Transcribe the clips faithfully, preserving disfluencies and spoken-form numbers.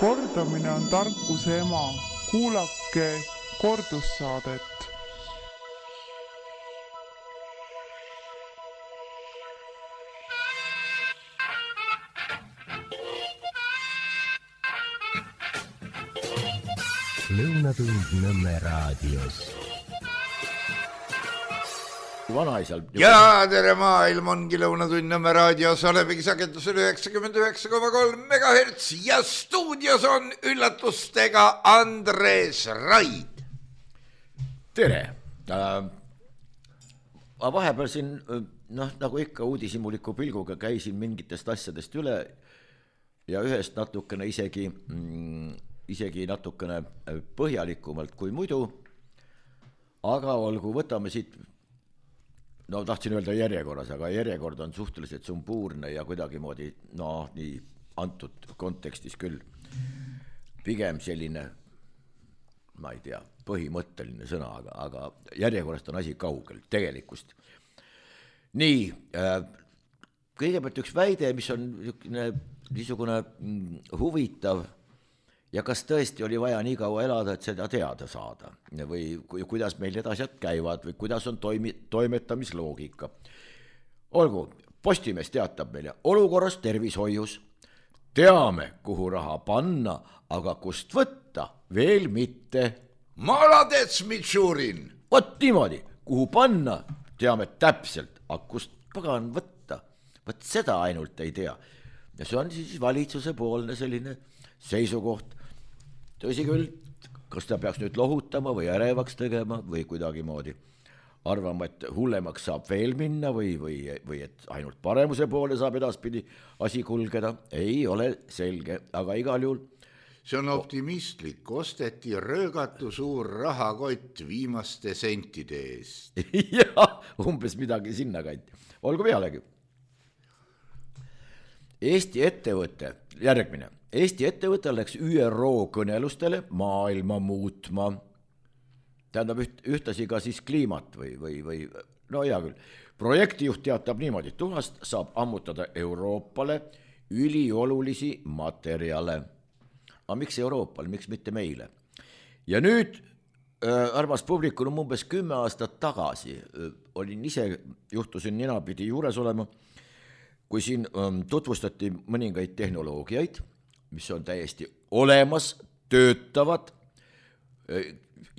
Kordamine on tarkuse ema. Kuulake kordussaadet. Lõunatund Nõmme raadios. Vanaisal. Ja tere maailm ongi Lõunatund Nõmme raadios, olemegi sagedusel üheksakümmend üheksa koma kolm megahertsi ja stuudios on üllatustega Andres Raid. Tere! Äh, vahepeal siin, noh, nagu ikka uudishimuliku pilguga käisin mingitest asjadest üle ja ühest natukene isegi, mm, isegi natukene põhjalikumalt kui muidu, aga olgu, võtame siit. No tahtsin öelda järjekorras, aga järjekord on suhteliselt sumbuurne ja kuidagi moodi, no nii antud kontekstis küll pigem selline, ma ei tea, põhimõtteline sõna, aga, aga järjekorrast on asi kaugel, tegelikust. Nii, kõigepealt üks väide, mis on niisugune huvitav ja kas tõesti oli vaja nii kaua elada, et seda teada saada või kuidas meil need asjad käivad või kuidas on toimi, toimetamisloogika. Olgu, Postimees teatab meile olukorras tervishoius. Teame, kuhu raha panna, aga kust võtta veel mitte. Maladets Mitšurin! Vot niimoodi, kuhu panna, teame täpselt, aga kust pagan võtta. Võt seda ainult ei tea. Ja see on siis valitsuse poolne selline seisukoht. Tõsi küll, kas ta peaks nüüd lohutama või ärevaks tegema või kuidagi moodi arvama, et hullemaks saab veel minna või, või, või et ainult paremuse poole saab edaspidi asi kulgeda, ei ole selge, aga igal juhul. See on optimistlik, osteti röögatu suur rahakott viimaste sentide eest. Jah, umbes midagi sinna kanti. Olgu pealegi. Eesti ettevõte, järgmine. Eesti ettevõte läks Ü R O kõnelustele maailma muutma. Tähendab üht, ühtasi ka siis kliimat või, või, või no hea küll. Projektijuht teatab niimoodi, tuhast saab ammutada Euroopale üliolulisi materjale. Aga miks Euroopal, miks mitte meile? Ja nüüd, äh, armas publikul on umbes kümme aastat tagasi, äh, olin ise, juhtusin ninapidi juures olema, kui siin ähm, tutvustati mõningaid tehnoloogiaid, mis on täiesti olemas, töötavad,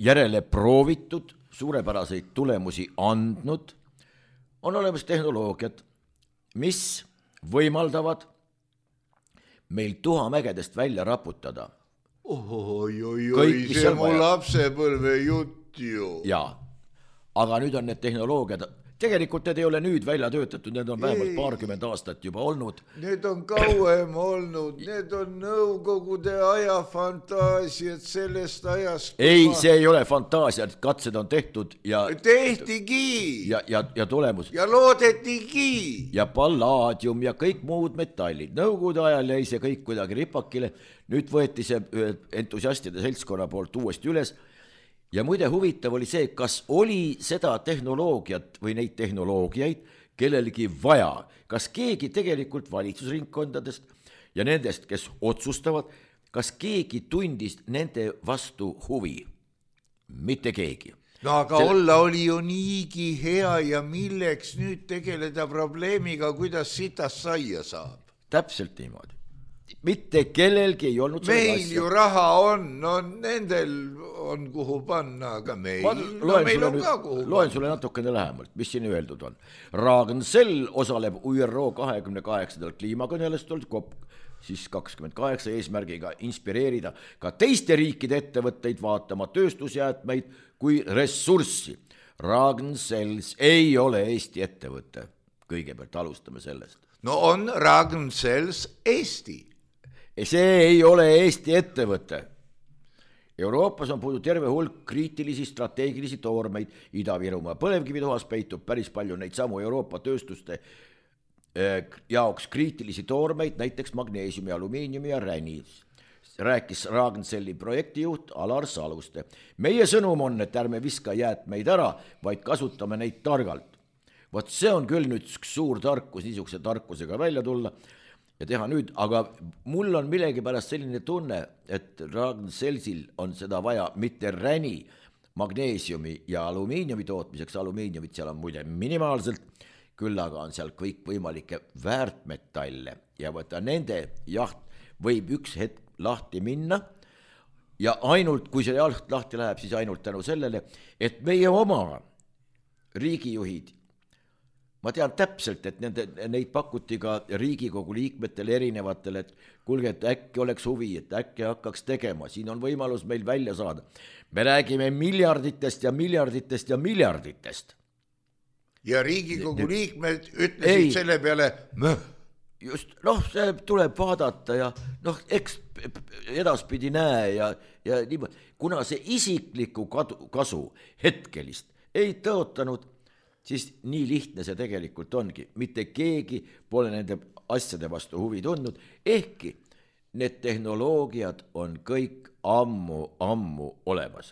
järele proovitud, suurepäraseid tulemusi andnud, on olemas tehnoloogiad, mis võimaldavad meil tuhamägedest välja raputada. Oi, oi, oi, see mu lapsepõlve jutt ju. Jaa, aga nüüd on need tehnoloogiad, tegelikult need ei ole nüüd välja töötatud, need on vähemalt paarkümmend aastat juba olnud. Need on kauem olnud, need on nõukogude aja fantaasiad sellest ajast. Ei, ma... see ei ole fantaasia, katsed on tehtud ja... Tehtigi! Ja, ja, ja tulemus. Ja loodetigi! Ja pallaadium ja kõik muud metallid. Nõukogude ajal jäi see kõik kuidagi ripakile. Nüüd võeti see entusiastide seltskonna poolt uuesti üles. Ja muide huvitav oli see, kas oli seda tehnoloogiat või neid tehnoloogiaid kellelegi vaja. Kas keegi tegelikult valitsusringkondadest ja nendest, kes otsustavad, kas keegi tundis nende vastu huvi? Mitte keegi. No aga Sel... olla oli ju niigi hea ja milleks nüüd tegeleda probleemiga, kuidas sitas saia saab? Täpselt niimoodi. Mitte kellelgi ei olnud meil asja. Ju raha on, no nendel on kuhu panna, aga meil, no meil on ka kuhu panna. Loen sulle natukene lähemalt, mis siin öeldud on. Ragn-Sell osaleb Ü R O kahekümne kaheksandal kliimakõnelustel COP siis kakskümmend kaheksa eesmärgiga inspireerida ka teiste riikide ettevõtteid vaatama tööstusjäätmeid kui ressurssi. Ragn-Sells ei ole Eesti ettevõte. Kõigepealt alustame sellest. No on Ragn-Sells Eesti. See ei ole Eesti ettevõte. Euroopas on puudu terve hulk kriitilisi strateegilisi toormeid. Ida-Virumaa põlevkivituhas peitub päris palju neid samu Euroopa tööstuste jaoks kriitilisi toormeid, näiteks magneesiumi, alumiiniumi ja räni. Rääkis Ragn-Selli projektijuht Alar Saluste. Meie sõnum on, et ärme viska jäätmeid ära, vaid kasutame neid targalt. Vot see on küll nüüd suur tarkus, niisuguse tarkusega välja tulla. ja teha nüüd, aga mul on millegipärast selline tunne, et Ragn-Sellsil on seda vaja mitte räni magneesiumi ja alumiiniumi tootmiseks, alumiiniumit seal on muide minimaalselt, küll aga on seal kõik võimalikke väärtmetalle ja võtta nende jaht võib üks hetk lahti minna ja ainult, kui see jaht lahti läheb, siis ainult tänu sellele, et meie oma riigijuhid, ma tean täpselt, et nende, neid pakuti ka Riigikogu liikmetele erinevatele, et kuulge, et äkki oleks huvi, et äkki hakkaks tegema, siin on võimalus meil välja saada. Me räägime miljarditest ja miljarditest ja miljarditest. Ja Riigikogu liikmed ütlesid ei, selle peale möh. Just, noh, see tuleb vaadata ja noh, eks edaspidi näe ja, ja niimoodi, kuna see isikliku kasu hetkelist ei tõotanud, siis nii lihtne see tegelikult ongi. Mitte keegi pole nende asjade vastu huvi tundnud, ehkki need tehnoloogiad on kõik ammu, ammu olemas.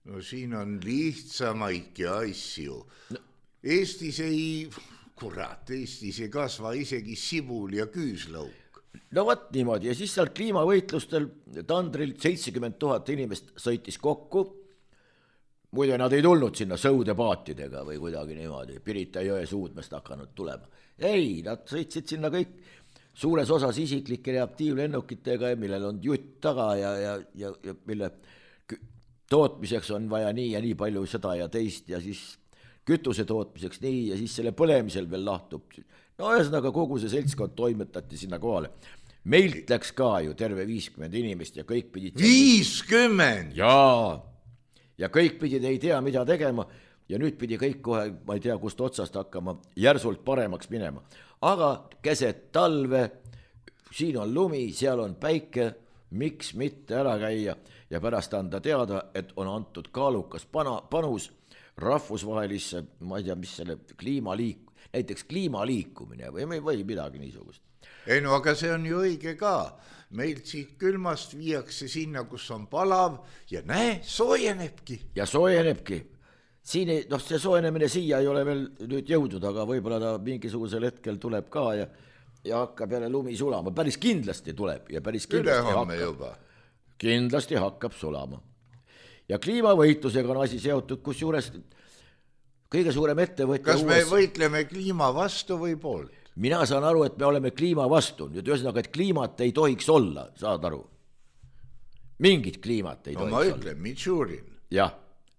No siin on lihtsamaidki asju. No, Eestis ei, kurat, Eestis ei kasva isegi sibul ja küüslauk. No võt niimoodi ja siis seal kliimavõitlustel Tandril seitsekümmend tuhat inimest sõitis kokku. Muide, nad ei tulnud sinna sõudepaatidega või kuidagi niimoodi, Pirita jõe suudmest hakanud tulema. Ei, nad sõitsid sinna kõik suures osas isiklike reaktiivlennukitega, millel on jutt taga ja, ja, ja, ja mille tootmiseks on vaja nii ja nii palju seda ja teist ja siis kütuse tootmiseks nii ja siis selle põlemisel veel lahtub. No ühesõnaga kogu see seltskond toimetati sinna kohale. Meilt läks ka ju terve viiskümmend inimest ja kõik pidid... viiskümmend? Jaa, ja kõik pidid ei tea mida tegema ja nüüd pidi kõik kohe, ma ei tea kust otsast hakkama, järsult paremaks minema. Aga keset talve, siin on lumi, seal on päike, miks mitte ära käia ja pärast anda teada, et on antud kaalukas pana, panus rahvusvahelisse, ma ei tea, mis selle kliimaliik, näiteks kliimaliikumine või, või midagi niisugust. Ei no, aga see on ju õige ka. Meilt siit külmast viiakse sinna, kus on palav ja näe, soojenebki. Ja soojenebki. Siin ei, noh, see soojenemine siia ei ole veel nüüd jõudnud, aga võib-olla ta mingisugusel hetkel tuleb ka ja, ja hakkab jälle lumi sulama. Päris kindlasti tuleb ja päris kindlasti hakkab. Juba. Kindlasti hakkab sulama. Ja kliimavõitlusega on asi seotud, kus juures kõige suurem ettevõtja... Kas me uues... võitleme kliima vastu või poolt? Mina saan aru, et me oleme kliima vastu. Nüüd ühesõnaga, et kliimat ei tohiks olla, saad aru? Mingit kliimat ei no, tohiks olla. olla. No ma ütlen, Mitšurin. Jah,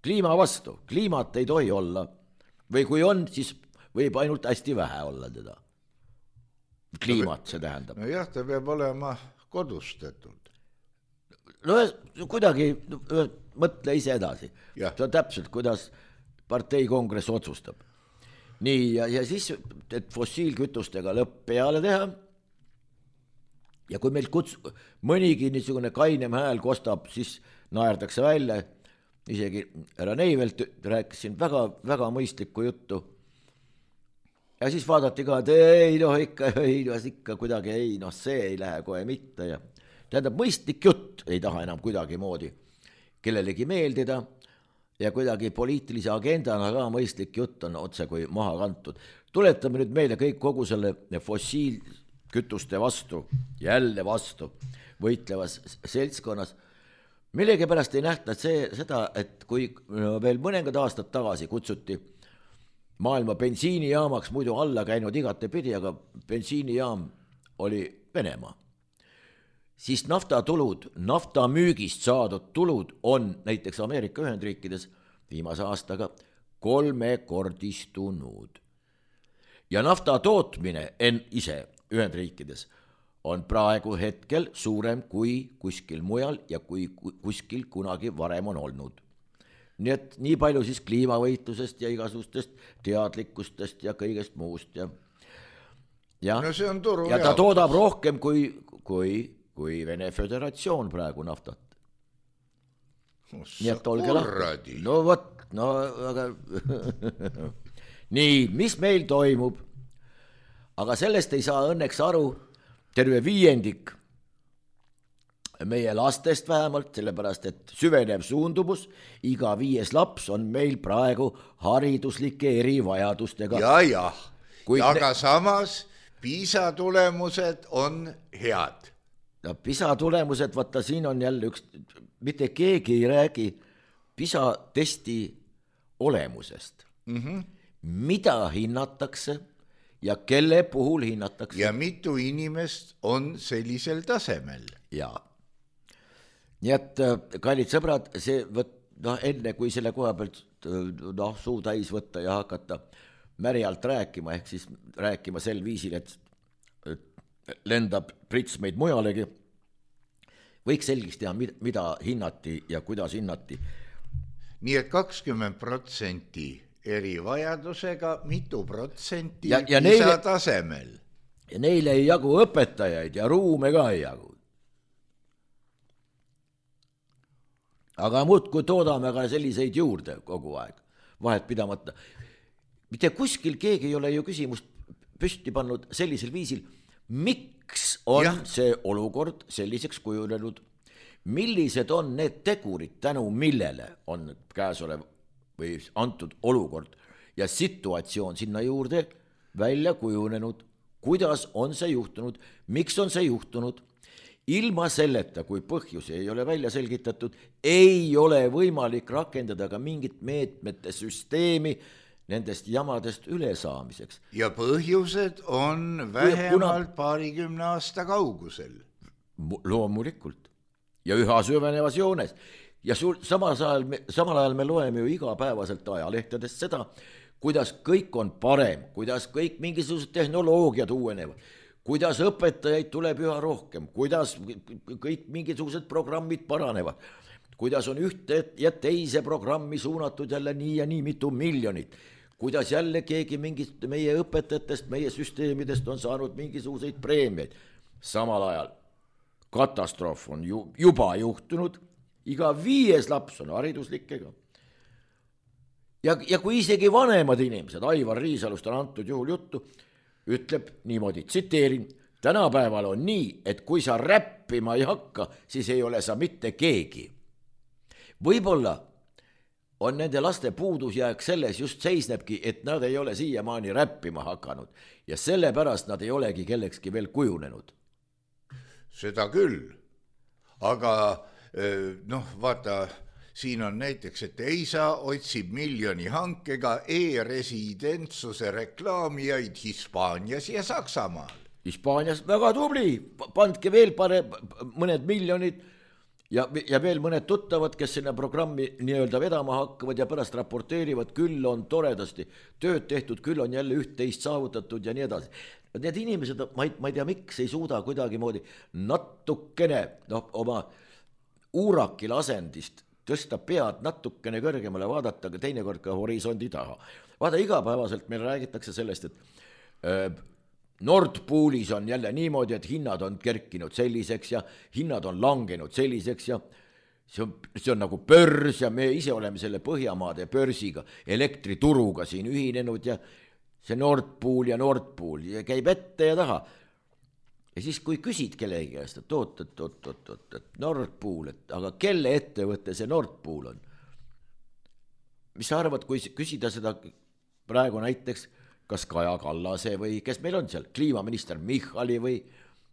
kliima vastu. Kliimat ei tohi olla. Või kui on, siis võib ainult hästi vähe olla teda. Kliimat see tähendab. No jah, ta peab olema kodustatud. No kuidagi mõtle ise edasi. Ja. See on täpselt, kuidas partei kongress otsustab. Nii, ja, ja siis, et fossiilkütustega lõpp peale teha. Ja kui meil kuts, mõnigi niisugune kainem hääl kostab, siis naerdakse välja. Isegi härra Neivelt rääkisin väga, väga mõistlikku juttu. Ja siis vaadati ka, et ei, noh, ikka, ei, noh, ikka kuidagi ei, noh, see ei lähe kohe mitte ja tähendab, mõistlik jutt ei taha enam kuidagi moodi kellelegi meeldida ja kuidagi poliitilise agendana ka mõistlik jutt on otse kui maha kantud. Tuletame nüüd meile kõik kogu selle fossiilkütuste vastu, jälle vastu võitlevas seltskonnas. Millegi pärast ei nähta see, seda, et kui veel mõningad aastad tagasi kutsuti maailma bensiinijaamaks, muidu alla käinud igate pidi, aga bensiinijaam oli Venemaa. Siis naftatulud, nafta müügist saadud tulud on näiteks Ameerika Ühendriikides viimase aastaga kolmekordistunud. Ja nafta tootmine en ise Ühendriikides on praegu hetkel suurem kui kuskil mujal ja kui kuskil kunagi varem on olnud. Nii et nii palju siis kliimavõitlusest ja igasugustest teadlikkustest ja kõigest muust. Ja, ja, no see on turu ja ta toodab rohkem kui, kui, kui Vene Föderatsioon praegu naftat. Nii et olge lahti. No võt, no aga nii, mis meil toimub? Aga sellest ei saa õnneks aru terve viiendik meie lastest vähemalt, sellepärast et süvenev suundumus, iga viies laps on meil praegu hariduslike erivajadustega. Ja, jah, Kuid aga ne... samas PISA tulemused on head. No PISA tulemused, vaata siin on jälle üks, mitte keegi ei räägi PISA testi olemusest. Mm-hmm. Mida hinnatakse ja kelle puhul hinnatakse. Ja mitu inimest on sellisel tasemel. Jaa. Nii et kallid sõbrad, see võt, no, enne kui selle koha pealt no, suu täis võtta ja hakata märjalt rääkima, ehk siis rääkima sel viisil, et, et lendab prits meid mujalegi, võiks selgeks teha, mida hinnati ja kuidas hinnati. Nii et kakskümmend protsenti erivajadusega, mitu protsenti ja, ja PISA neile, tasemel. Ja neile ei jagu õpetajaid ja ruume ka ei jagu. Aga muudkui toodame ka selliseid juurde kogu aeg, vahet pidamata. Mitte kuskil keegi ei ole ju küsimust püsti pannud sellisel viisil, miks on ja. see olukord selliseks kujunenud, millised on need tegurid, tänu millele on käesolev või antud olukord ja situatsioon sinna juurde välja kujunenud, kuidas on see juhtunud, miks on see juhtunud. Ilma selleta, kui põhjusi ei ole välja selgitatud, ei ole võimalik rakendada ka mingit meetmete süsteemi nendest jamadest ülesaamiseks. Ja põhjused on vähemalt kuna... paarikümne aasta kaugusel. Loomulikult. Ja üha süvenevas joones. Ja sul, samal, ajal me, samal ajal me loeme ju igapäevaselt ajalehtedest seda, kuidas kõik on parem, kuidas kõik mingisugused tehnoloogiad uuenevad, kuidas õpetajaid tuleb üha rohkem, kuidas kõik mingisugused programmid paranevad, kuidas on ühte ja teise programmi suunatud jälle nii ja nii mitu miljonit, kuidas jälle keegi mingist meie õpetajatest, meie süsteemidest on saanud mingisuguseid preemiaid. Samal ajal katastroof on ju, juba juhtunud, iga viies laps on hariduslikega. Ja, ja kui isegi vanemad inimesed, Aivar Riisalust on antud juhul juttu, ütleb niimoodi, tsiteerin, tänapäeval on nii, et kui sa räppima ei hakka, siis ei ole sa mitte keegi. Võib-olla on nende laste puudusjääk selles just seisnebki, et nad ei ole siiamaani räppima hakanud ja sellepärast nad ei olegi kellekski veel kujunenud. Seda küll, aga noh, vaata, siin on näiteks, et Eisa otsib miljoni hankega e-residentsuse reklaamijaid Hispaanias ja Saksamaal. Hispaanias väga tubli, pandke veel pare, mõned miljonid ja, ja veel mõned tuttavad, kes sinna programmi nii-öelda vedama hakkavad ja pärast raporteerivad, küll on toredasti tööd tehtud, küll on jälle üht-teist saavutatud ja nii edasi. Need inimesed, ma ei, ma ei tea, miks ei suuda kuidagi moodi natukene no, oma uurakil asendist tõsta pead natukene kõrgemale, vaadata ka teinekord ka horisondi taha. Vaada, igapäevaselt meil räägitakse sellest, et öö, Nord Poolis on jälle niimoodi, et hinnad on kerkinud selliseks ja hinnad on langenud selliseks ja see on, see on nagu börs ja me ise oleme selle Põhjamaade börsiga, elektrituruga siin ühinenud ja see Nord Pool ja Nord Pool ja käib ette ja taha. Ja siis kui küsid kellegi käest, et oot, et, oot, oot, oot, et Nord Pool, et aga kelle ettevõte see Nord Pool on? Mis sa arvad, kui küsida seda praegu näiteks, kas Kaja Kallase või kes meil on seal, kliimaminister Michali või,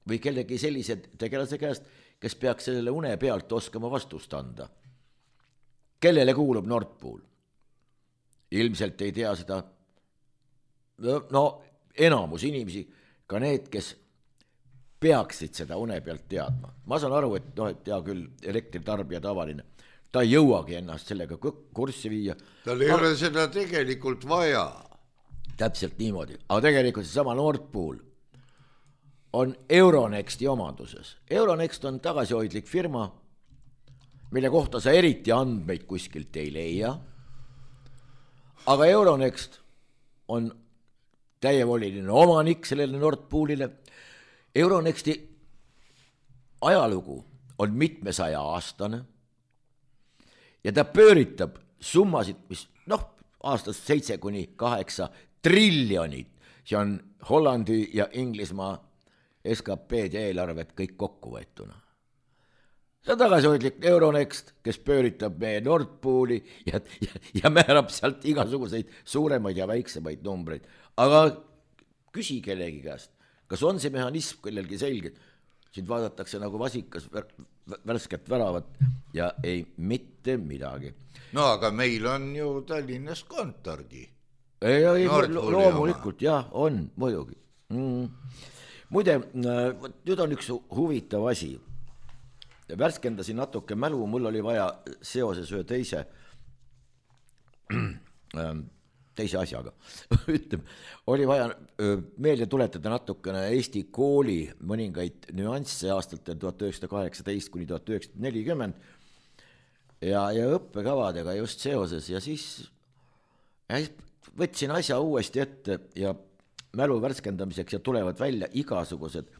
või kellegi sellise tegelase käest, kes peaks sellele une pealt oskama vastust anda. Kellele kuulub Nord Pool? Ilmselt ei tea seda, no enamus inimesi, ka need, kes peaksid seda une pealt teadma. Ma saan aru, et, no, et tea küll elektritarbija tavaline, ta ei jõuagi ennast sellega kurssi viia. Tal ei Ma... ole seda tegelikult vaja. Täpselt niimoodi, aga tegelikult see sama Nord Pool on Euronexti omanduses. Euronext on tagasihoidlik firma, mille kohta sa eriti andmeid kuskilt ei leia, aga Euronext on täievoliline omanik sellele Nord Poolile. Euronexti ajalugu on mitmesaja aastane ja ta pööritab summasid, mis noh, aastast seitse kuni kaheksa triljonit, see on Hollandi ja Inglismaa S K P-d ja eelarvet kõik kokku võetuna. See on tagasihoidlik Euronext, kes pööritab meie Nord Pooli ja, ja, ja määrab sealt igasuguseid suuremaid ja väiksemaid numbreid. Aga küsi kellegi käest, kas on see mehhanism kellelgi selge, sind vaadatakse nagu vasikas värsket väravat ja ei mitte midagi. No aga meil on ju Tallinnas kontorgi. Ei, ei loomulikult, jah, on muidugi. Mm. Muide, nüüd on üks huvitav asi. Värskendasin natuke mälu, mul oli vaja seoses ühe teise teise asjaga, ütleme, oli vaja meelde tuletada natukene Eesti kooli mõningaid nüansse aastatel tuhat üheksasada kaheksateist kuni tuhat üheksasada nelikümmend ja, ja õppekavadega just seoses ja siis võtsin asja uuesti ette ja mälu värskendamiseks ja tulevad välja igasugused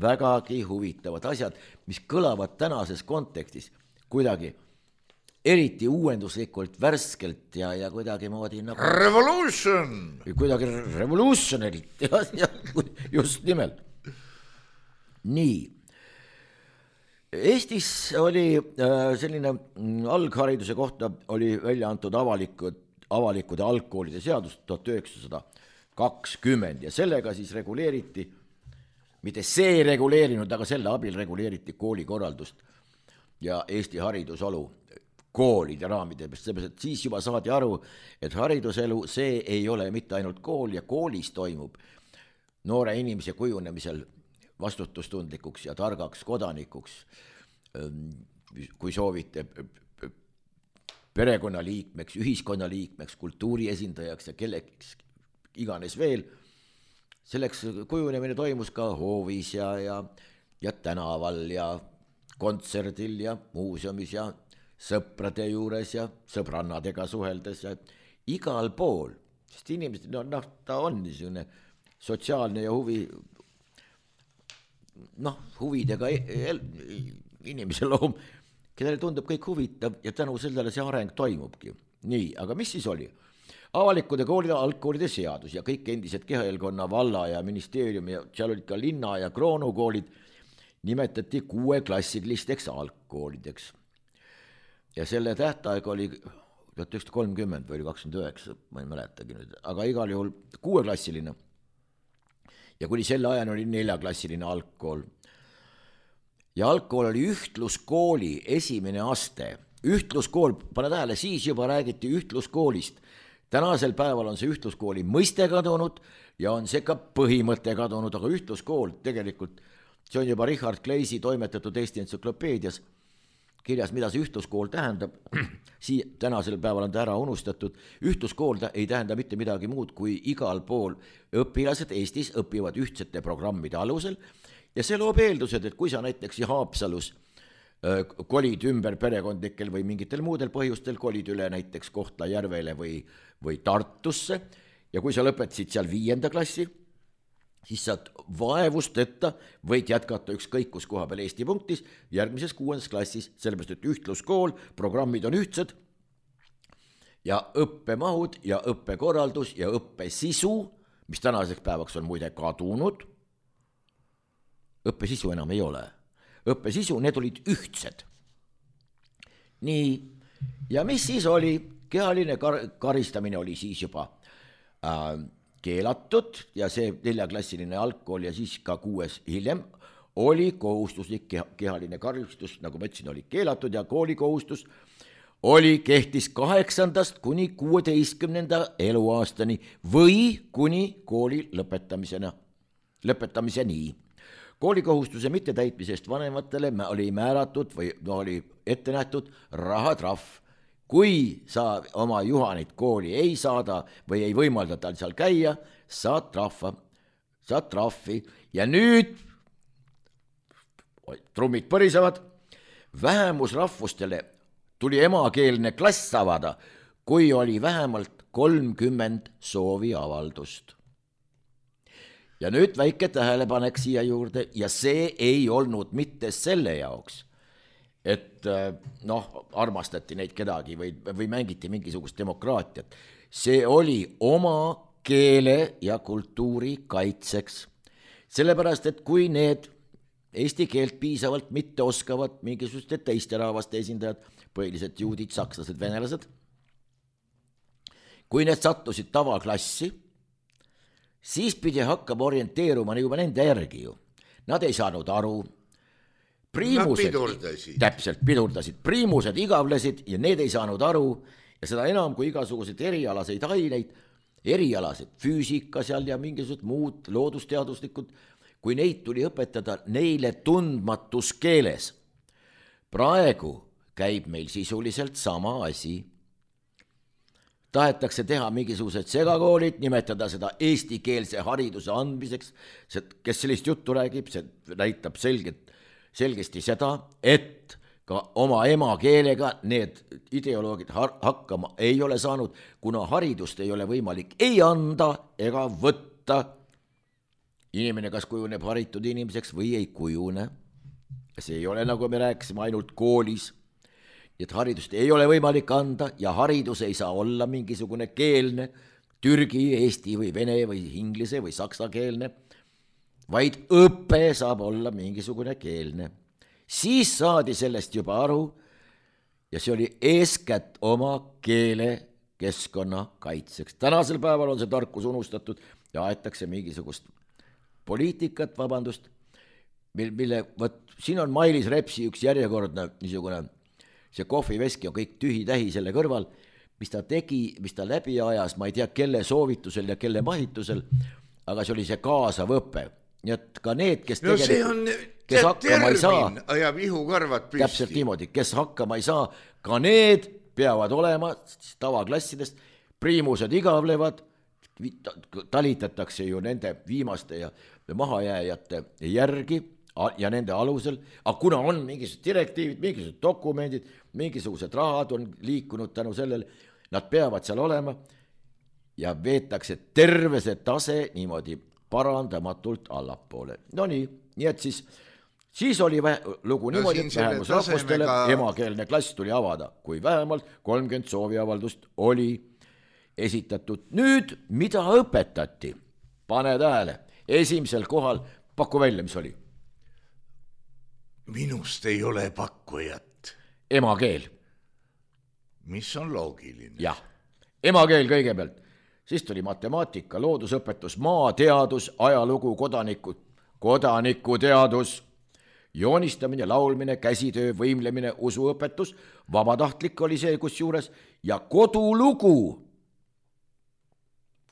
vägagi huvitavad asjad, mis kõlavad tänases kontekstis kuidagi eriti uuenduslikult, värskelt ja, ja kuidagi moodi nagu... Revolution! Kuidagi revolutionarit, ja, ja just nimelt. Nii. Eestis oli selline alghariduse kohta oli välja antud avalikud, avalikude algkoolide seadus tuhat üheksasada kakskümmend ja sellega siis reguleeriti, mitte see reguleerinud, aga selle abil reguleeriti koolikorraldust ja Eesti haridusolu koolide raamide, seepärast, et siis juba saadi aru, et hariduselu, see ei ole mitte ainult kool ja koolis toimub noore inimese kujunemisel vastutustundlikuks ja targaks kodanikuks, kui soovite perekonnaliikmeks, ühiskonnaliikmeks, kultuuri esindajaks ja kelleks iganes veel. Selleks kujunemine toimus ka hoovis ja, ja, ja tänaval ja kontserdil ja muuseumis ja sõprade juures ja sõbrannadega suheldes ja igal pool, sest inimesed, no, no ta on niisugune sotsiaalne ja huvi, noh, huvidega inimese loom, kellele tundub kõik huvitav ja tänu sellele see areng toimubki. Nii, aga mis siis oli? Avalikude koolide, algkoolide seadus ja kõik endised Kehaelkonna valla ja ministeeriumi ja seal olid ka linna ja kroonukoolid nimetati kuueklassilisteks algkoolideks. Ja selle tähtaeg oli tuhat üheksasada kolmkümmend või kakskümmend üheksa, ma ei mäletagi nüüd, aga igal juhul kuueklassiline. Ja kuni selle ajan oli neljaklassiline algkool. Ja algkool oli ühtluskooli esimene aste. Ühtluskool, pane tähele, siis juba räägiti ühtluskoolist. Tänasel päeval on see ühtluskooli mõiste kadunud ja on see ka põhimõte kadunud, aga ühtluskool tegelikult, see on juba Richard Kleisi toimetatud Eesti entsüklopeedias kirjas, mida see ühtluskool tähendab, Sii, tänasel päeval on ta ära unustatud, ühtluskool ei tähenda mitte midagi muud, kui igal pool õpilased Eestis õpivad ühtsete programmide alusel ja see loob eeldused, et kui sa näiteks Haapsalus äh, kolid ümber perekondlikel või mingitel muudel põhjustel, kolid üle näiteks Kohtla-Järvele või, või Tartusse ja kui sa lõpetasid seal viienda klassi, siis saad vaevusteta võid jätkata ükskõik kus koha peal Eesti punktis järgmises kuuendas klassis, sellepärast et ühtluskool, programmid on ühtsed ja õppemahud ja õppekorraldus ja õppesisu, mis tänaseks päevaks on muide kadunud, õppesisu enam ei ole. Õppesisu, need olid ühtsed. Nii, ja mis siis oli? Kehaline kar- karistamine oli siis juba äh, keelatud ja see neljaklassiline algkool ja siis ka kuues hiljem oli kohustuslik kehaline karistus, nagu ma ütlesin, oli keelatud ja koolikohustus oli kehtis kaheksandast kuni kuueteistkümnenda eluaastani või kuni kooli lõpetamisena, lõpetamiseni. Koolikohustuse mittetäitmisest vanematele oli määratud või no, oli ette nähtud rahatrahv. Kui sa oma Juhanit kooli ei saada või ei võimalda tal seal käia, saad trahva, saad trahvi ja nüüd trummid põrisevad, vähemusrahvustele tuli emakeelne klass avada, kui oli vähemalt kolmkümmend sooviavaldust. Ja nüüd väike tähelepanek siia juurde ja see ei olnud mitte selle jaoks, et noh, armastati neid kedagi või, või mängiti mingisugust demokraatiat. See oli oma keele ja kultuuri kaitseks. Sellepärast, et kui need eesti keelt piisavalt mitte oskavad mingisuguste teiste rahvaste esindajad, põhiliselt juudid, sakslased, venelased, kui need sattusid tavaklassi, siis pidi hakkama orienteeruma juba nende järgi ju. Nad ei saanud aru. Priimused, pidurdasid. Täpselt pidurdasid. Priimused igavlesid ja need ei saanud aru ja seda enam kui igasuguseid erialaseid aineid, erialased füüsika seal ja mingisugused muud loodusteaduslikud, kui neid tuli õpetada neile tundmatus keeles. Praegu käib meil sisuliselt sama asi. Tahetakse teha mingisugused segakoolid, nimetada seda eestikeelse hariduse andmiseks, kes sellist juttu räägib, see näitab selgelt, selgesti seda, et ka oma emakeelega need ideoloogid hakkama ei ole saanud, kuna haridust ei ole võimalik ei anda ega võtta. Inimene kas kujuneb haritud inimeseks või ei kujune. See ei ole, nagu me rääkisime, ainult koolis. Et haridust ei ole võimalik anda ja haridus ei saa olla mingisugune keelne, türgi, eesti või vene või inglise või saksa keelne, vaid õpe saab olla mingisugune keelne. Siis saadi sellest juba aru ja see oli eeskätt oma keele keskkonna kaitseks. Tänasel päeval on see tarkus unustatud ja aetakse mingisugust poliitikat, vabandust, mille, võt, siin on Mailis Repsi üks järjekordne niisugune see kohviveski on kõik tühi-tähi selle kõrval, mis ta tegi, mis ta läbi ajas, ma ei tea, kelle soovitusel ja kelle mahitusel, aga see oli see kaasav õpe. Nii et ka need, kes no see on kes hakkama ei saa, ajab ihukarvad püsti. Täpselt niimoodi, kes hakkama ei saa, ka need peavad olema tavaklassidest, priimused igavlevad, talitatakse ju nende viimaste ja mahajääjate järgi, ja nende alusel, aga kuna on mingisugused direktiivid, mingisugused dokumendid, mingisugused rahad on liikunud tänu sellele, nad peavad seal olema ja veetakse terve see tase niimoodi parandamatult allapoole. No nii, nii et siis, siis oli vähe, lugu niimoodi, no, et vähemusrahvustele tasemega... emakeelne klass tuli avada, kui vähemalt kolmkümmend sooviavaldust oli esitatud. Nüüd, mida õpetati? Pane tähele, esimesel kohal, paku välja, mis oli? Minust ei ole pakkujat. Emakeel. Mis on loogiline. Jah, emakeel kõigepealt. Siis tuli matemaatika, loodusõpetus, maateadus, ajalugu, kodaniku, kodanikuteadus, joonistamine, laulmine, käsitöö, võimlemine, usuõpetus, vabatahtlik oli see kusjuures ja kodulugu.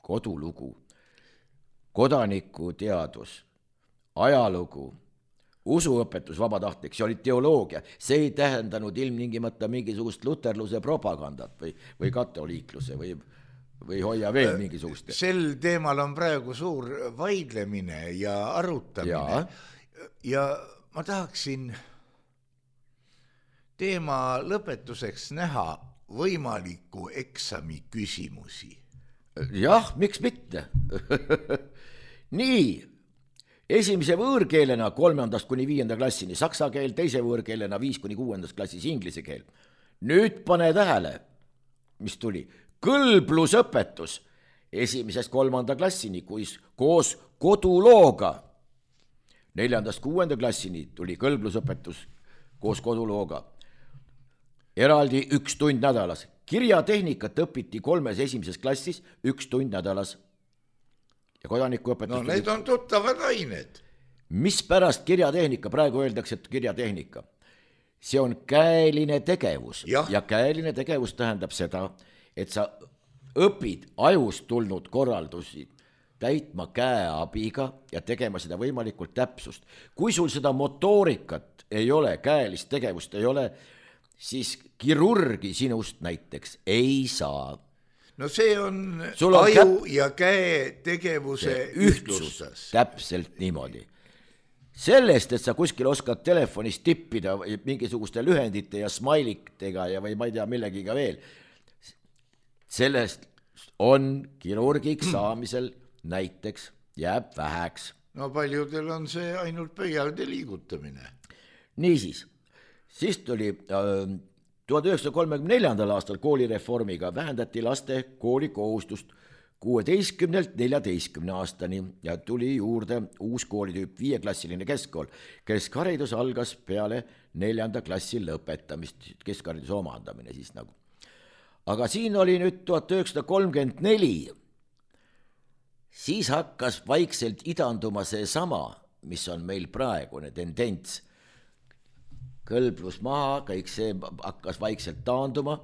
Kodulugu, kodanikuteadus, ajalugu, usuõpetus vabatahtlik, see oli teoloogia, see ei tähendanud ilmtingimata mingisugust luterluse propagandat või, või katoliikluse või, või hoia veel mingisugust. Sel teemal on praegu suur vaidlemine ja arutamine ja, ja ma tahaksin teema lõpetuseks näha võimaliku eksami küsimusi. Jah, miks mitte? Nii. Esimese võõrkeelena kolmandast kuni viienda klassini saksa keel, teise võõrkeelena viis kuni kuuendast klassis inglise keel. Nüüd pane tähele, mis tuli. Kõlblusõpetus esimesest kolmanda klassini, kuis koos kodulooga. Neljandast kuuenda klassini tuli kõlblusõpetus koos kodulooga. Eraldi üks tund nädalas. Kirjatehnikat õpiti kolmes esimeses klassis üks tund nädalas. Ja kodanikuõpetus... No need on tuttavad ained. Mis pärast kirjatehnika, praegu öeldakse, et kirjatehnika. See on käeline tegevus ja. ja käeline tegevus tähendab seda, et sa õpid ajust tulnud korraldusi täitma käeabiga ja tegema seda võimalikult täpsust. Kui sul seda motoorikat ei ole, käelist tegevust ei ole, siis kirurgi sinust näiteks ei saa. No see on, on aju käp... ja käe tegevuse ühtlustas. Täpselt niimoodi. Sellest, et sa kuskil oskad telefonis tippida mingisuguste lühendite ja smailikitega ja või ma ei tea millegiga veel, sellest on kirurgiks saamisel näiteks jääb väheks. No paljudel on see ainult pöialde liigutamine. Niisiis, siis tuli... Äh, tuhat üheksasada kolmekümne neljandal aastal koolireformiga vähendati laste koolikohustust kuueteistkümnelt neljateistkümne aastani ja tuli juurde uus koolitüüp viieklassiline keskkool. Keskharidus algas peale neljanda klassi lõpetamist, keskhariduse omandamine siis nagu. Aga siin oli nüüd tuhat üheksasada kolmkümmend neli siis hakkas vaikselt idanduma see sama, mis on meil praegune tendents. Kõlblus maha, kõik see hakkas vaikselt taanduma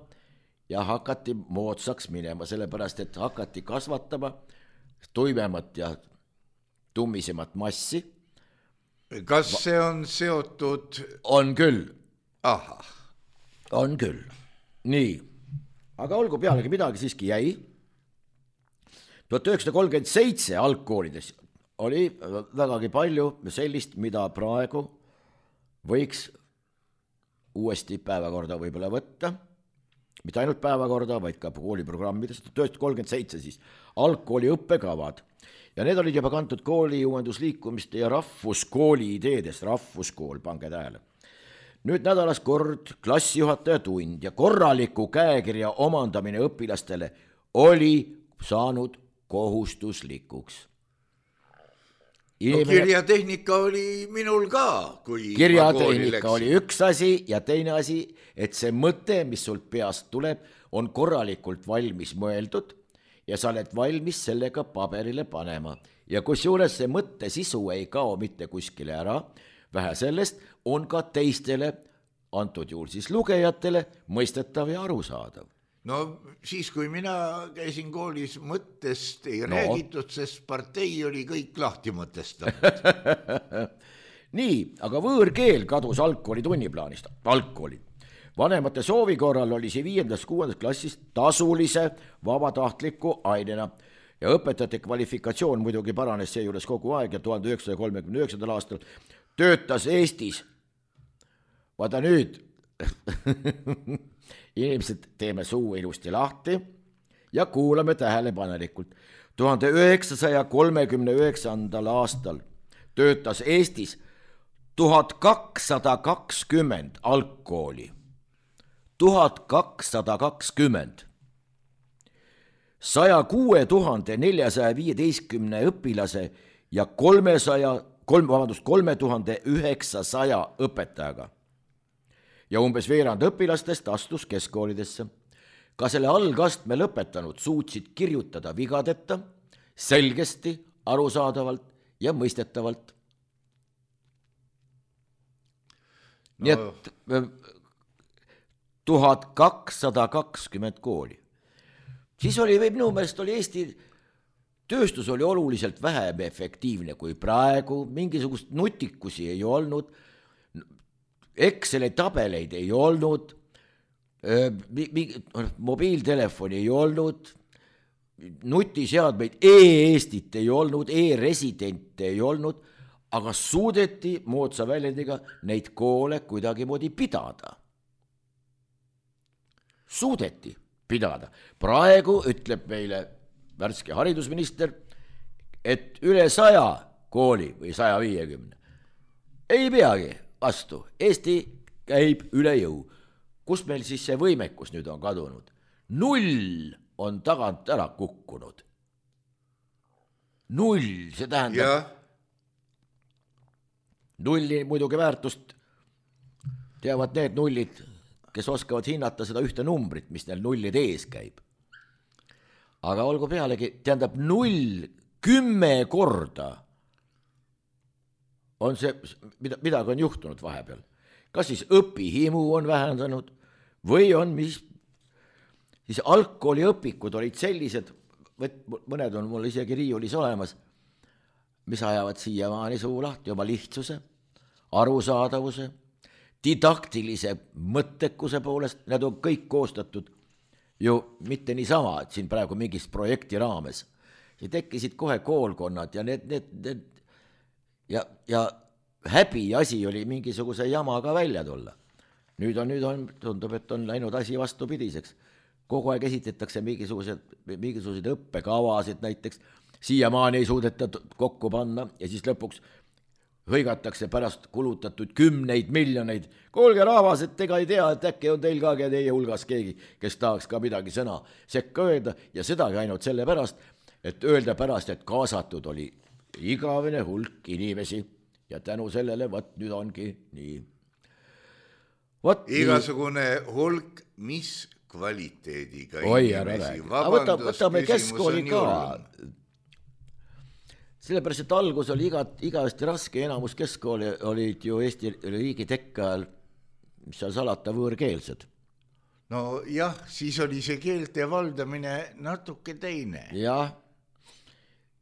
ja hakati moodsaks minema, sellepärast et hakati kasvatama tuimemat ja tummisemat massi. Kas see on seotud? On küll. Aha. On küll. Nii, aga olgu pealegi midagi siiski jäi. tuhat üheksasada kolmkümmend seitse algkoolides oli vägagi palju sellist, mida praegu võiks uuesti päevakorda võib-olla võtta, mitte ainult päevakorda, vaid ka kooliprogrammides, tuhat üheksasada kolmkümmend seitse siis algkooli õppekavad ja need olid juba kantud kooli uuendusliikumiste ja rahvuskooli ideedest, rahvuskool, pange tähele. Nüüd nädalas kord klassijuhataja tund ja korraliku käekirja omandamine õpilastele oli saanud kohustuslikuks. Inimene... No, kirjatehnika oli minul ka, kui kirjatehnika oli üks asi ja teine asi, et see mõte, mis sult peast tuleb, on korralikult valmis mõeldud ja sa oled valmis sellega paberile panema. Ja kusjuures see mõtte sisu ei kao mitte kuskile ära, vähe sellest on ka teistele, antud juhul siis lugejatele, mõistetav ja arusaadav. No siis, kui mina käisin koolis, mõttest ei no. räägitud, sest partei oli kõik lahti mõtestanud. Nii, aga võõrkeel kadus algkooli tunniplaanist. Algkooli. Vanemate soovi korral oli see viiendast kuuendast klassist tasulise vabatahtliku ainena ja õpetajate kvalifikatsioon muidugi paranes seejuures kogu aeg ja tuhande üheksasaja kolmekümne üheksandal aastal töötas Eestis. Vaata nüüd... Inimesed teeme suu ilusti lahti ja kuulame tähelepanelikult. tuhande üheksasaja kolmekümne üheksandal aastal töötas Eestis tuhat kakssada kakskümmend algkooli. tuhat kakssada kakskümmend. saja kuue tuhande neljasaja viieteistkümne õpilase ja kolmesaja, kolm, vabandust, kolme tuhande üheksasaja õpetajaga. Ja umbes veerand õpilastest astus keskkoolidesse. Ka selle algastme lõpetanud suutsid kirjutada vigadeta, selgesti, arusaadavalt ja mõistetavalt. No. Nii et tuhat kakssada kakskümmend kooli. Siis oli, minu meelest oli Eesti tööstus oli oluliselt vähem efektiivne kui praegu, mingisugust nutikusi ei olnud, Exceli tabeleid ei olnud, mobiiltelefoni ei olnud, nutiseadmeid e-Eestit ei olnud, e-residente ei olnud, aga suudeti moodsa väljendiga neid koole kuidagi moodi pidada. Suudeti pidada. Praegu ütleb meile värske haridusminister, et üle saja kooli või saja viiekümne ei peagi vastu. Eesti käib üle jõu. Kus meil siis see võimekus nüüd on kadunud? Null on tagant ära kukkunud. Null, see tähendab... Ja. Nulli muidugi väärtust teavad need nullid, kes oskavad hinnata seda ühte numbrit, mis neil nullid ees käib. Aga olgu pealegi, tähendab null kümme korda on see, mida, midagi on juhtunud vahepeal. Kas siis õpihimu on vähendanud või on mis, siis algkooli õpikud olid sellised, mõned on mul isegi riiulis olemas, mis ajavad siiamaani suu lahti oma lihtsuse, arusaadavuse, didaktilise mõttekuse poolest, need on kõik koostatud ju mitte niisama, et siin praegu mingist projekti raames. See tekkisid kohe koolkonnad ja need, need, need Ja, ja häbi asi oli mingisuguse jamaga välja tulla. Nüüd on, nüüd on, tundub, et on läinud asi vastupidiseks. Kogu aeg esitetakse mingisugused, mingisugused õppekavasid näiteks, siiamaani ei suudeta kokku panna ja siis lõpuks hõigatakse pärast kulutatud kümneid miljoneid. Kuulge rahvas, et ega ei tea, et äkki on teil ka teie hulgas keegi, kes tahaks ka midagi sõna sekka öelda ja sedagi ainult selle pärast, et öelda pärast, et kaasatud oli igavene hulk inimesi ja tänu sellele, võt nüüd ongi nii. Võt igasugune nii. Hulk, mis kvaliteediga Oi, inimesi. Vabandust, võtame keskkooli ka. sellepärast, et algus oli iga, igavesti raske, enamus keskkooli olid ju Eesti riigi tekke ajal, mis seal salata, võõrkeelsed. no jah, siis oli see keelte valdamine natuke teine. jah,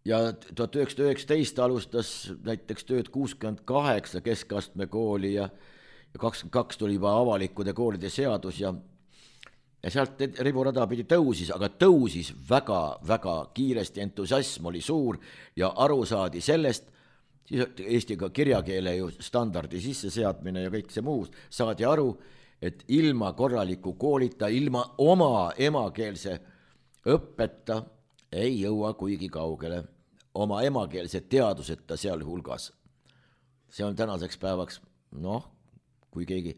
ja tuhat üheksasada üheksateist alustas näiteks tööd kuuskümmend kaheksa keskastme kooli ja, ja kakskümmend kaks tuli juba avalikude koolide seadus ja, ja sealt riburada pidi tõusis, aga tõusis väga-väga kiiresti, entusiasm oli suur ja aru saadi sellest, siis Eesti ka kirjakeele ju standardi sisseseadmine ja kõik see muu, saadi aru, et ilma korraliku koolita, ilma oma emakeelse õppeta ei jõua kuigi kaugele, oma emakeelse teaduseta seal hulgas. See on tänaseks päevaks, noh, kui keegi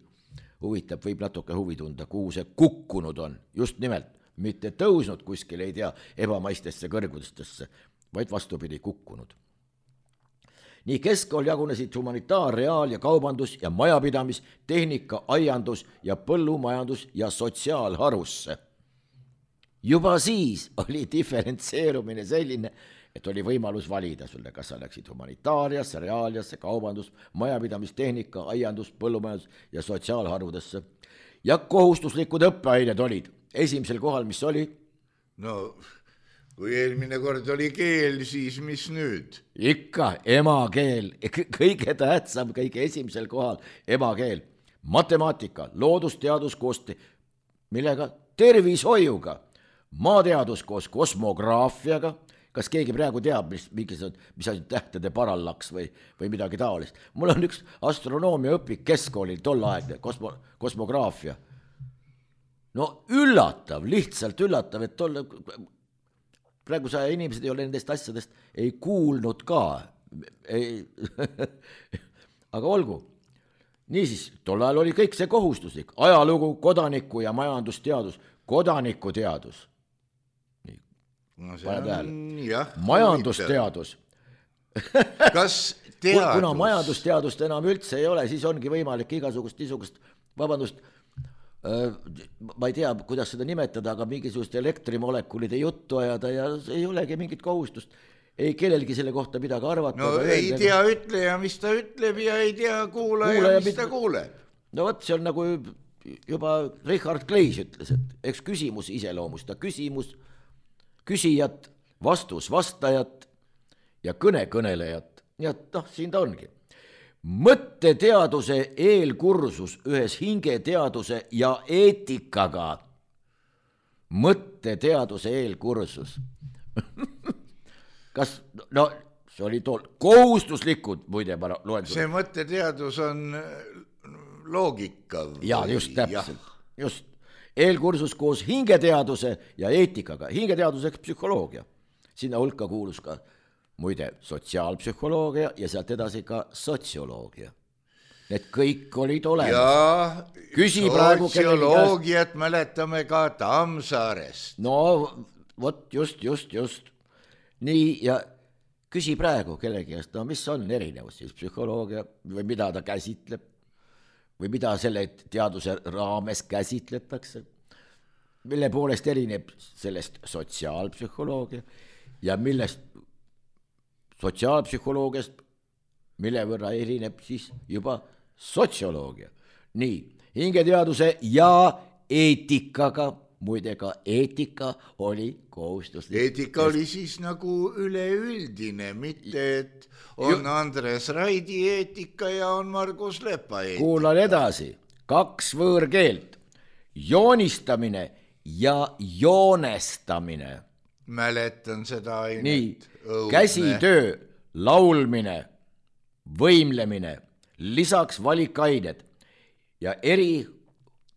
huvitab, võib natuke huvi tunda, kuhu see kukkunud on, just nimelt, mitte tõusnud kuskil, ei tea, ebamaistesse kõrgudestesse, vaid vastupidi kukkunud. Nii keskkool jagunesid humanitaar-, reaal- ja kaubandus- ja majapidamis-, tehnika-, aiandus- ja põllumajandus- ja sotsiaalharusse. Juba siis oli diferentseerumine selline, et oli võimalus valida sulle, kas sa läksid humanitaariasse, reaaliasse, kaubandus-, majapidamis-, tehnika-, aiandus-, põllumajandus- ja sotsiaalharudesse. Ja kohustuslikud õppeained olid esimesel kohal, mis oli? no kui eelmine kord oli keel, siis mis nüüd? Ikka emakeel, kõige tähtsam, kõige esimesel kohal emakeel, matemaatika, loodusteadus koos, millega? Tervishoiuga, maateadus koos kosmograafiaga, kas keegi praegu teab, mis, mis, mis asi tähtede parallaks või, või midagi taolist. Mul on üks astronoomia õpik keskkoolil tolleaegne kosmo, kosmograafia. No üllatav, lihtsalt üllatav, et tolle... praegu sa inimesed ei ole nendest asjadest ei kuulnud ka. Ei. Aga olgu. Niisiis, tol ajal oli kõik see kohustuslik. Ajalugu, kodaniku ja majandusteadus. Kodanikuteadus. No see on, jah. Majandusteadus. Kas teadus? Kuna majandusteadust enam üldse ei ole, siis ongi võimalik igasugust, niisugust, vabandust, ma ei tea, kuidas seda nimetada, aga mingisugust elektrimolekulide juttu ajada ja ei olegi mingit kohustust. Ei kellelgi selle kohta midagi arvata. No ei tea ütleja, mis ta ütleb ja ei tea kuulaja, kuulaja mis ta kuuleb. No võt, see on nagu juba Richard Kleis ütles, et eks küsimus iseloomusta küsimus, küsijat, vastus vastajat ja kõne kõnelejat. Ja noh, siin ta ongi. Mõtteteaduse eelkursus ühes hingeteaduse ja eetikaga. Mõtteteaduse eelkursus. Kas, no see oli tool, kohustuslikud, muide ma loen. See mõtteteadus on loogika. Ja just täpselt, just. Eelkursus koos hingeteaduse ja eetikaga. Hingeteaduseks psühholoogia. Sinna hulka kuulus ka muide sotsiaalpsühholoogia ja sealt edasi ka sotsioloogia. Need kõik olid olemas. Ja Küsi sotsioloogiat käest... mäletame ka Tammsaarest. No vot, just, just, just. Nii, ja küsi praegu kellegi käest, no mis on erinevus siis psühholoogia või mida ta käsitleb või mida selle teaduse raames käsitletakse, mille poolest erineb sellest sotsiaalpsühholoogia ja millest sotsiaalpsühholoogiast, mille võrra erineb siis juba sotsioloogia. Nii, hingeteaduse ja eetikaga, muide ka eetika oli kohustuslik. Eetika oli siis nagu üleüldine, mitte et on Andres Raidi eetika ja on Margus Lepa eetika. Kuulan edasi, kaks võõrkeelt, joonistamine ja joonestamine. Mäletan seda ainet. Nii, käsitöö, laulmine, võimlemine, lisaks valikained ja eri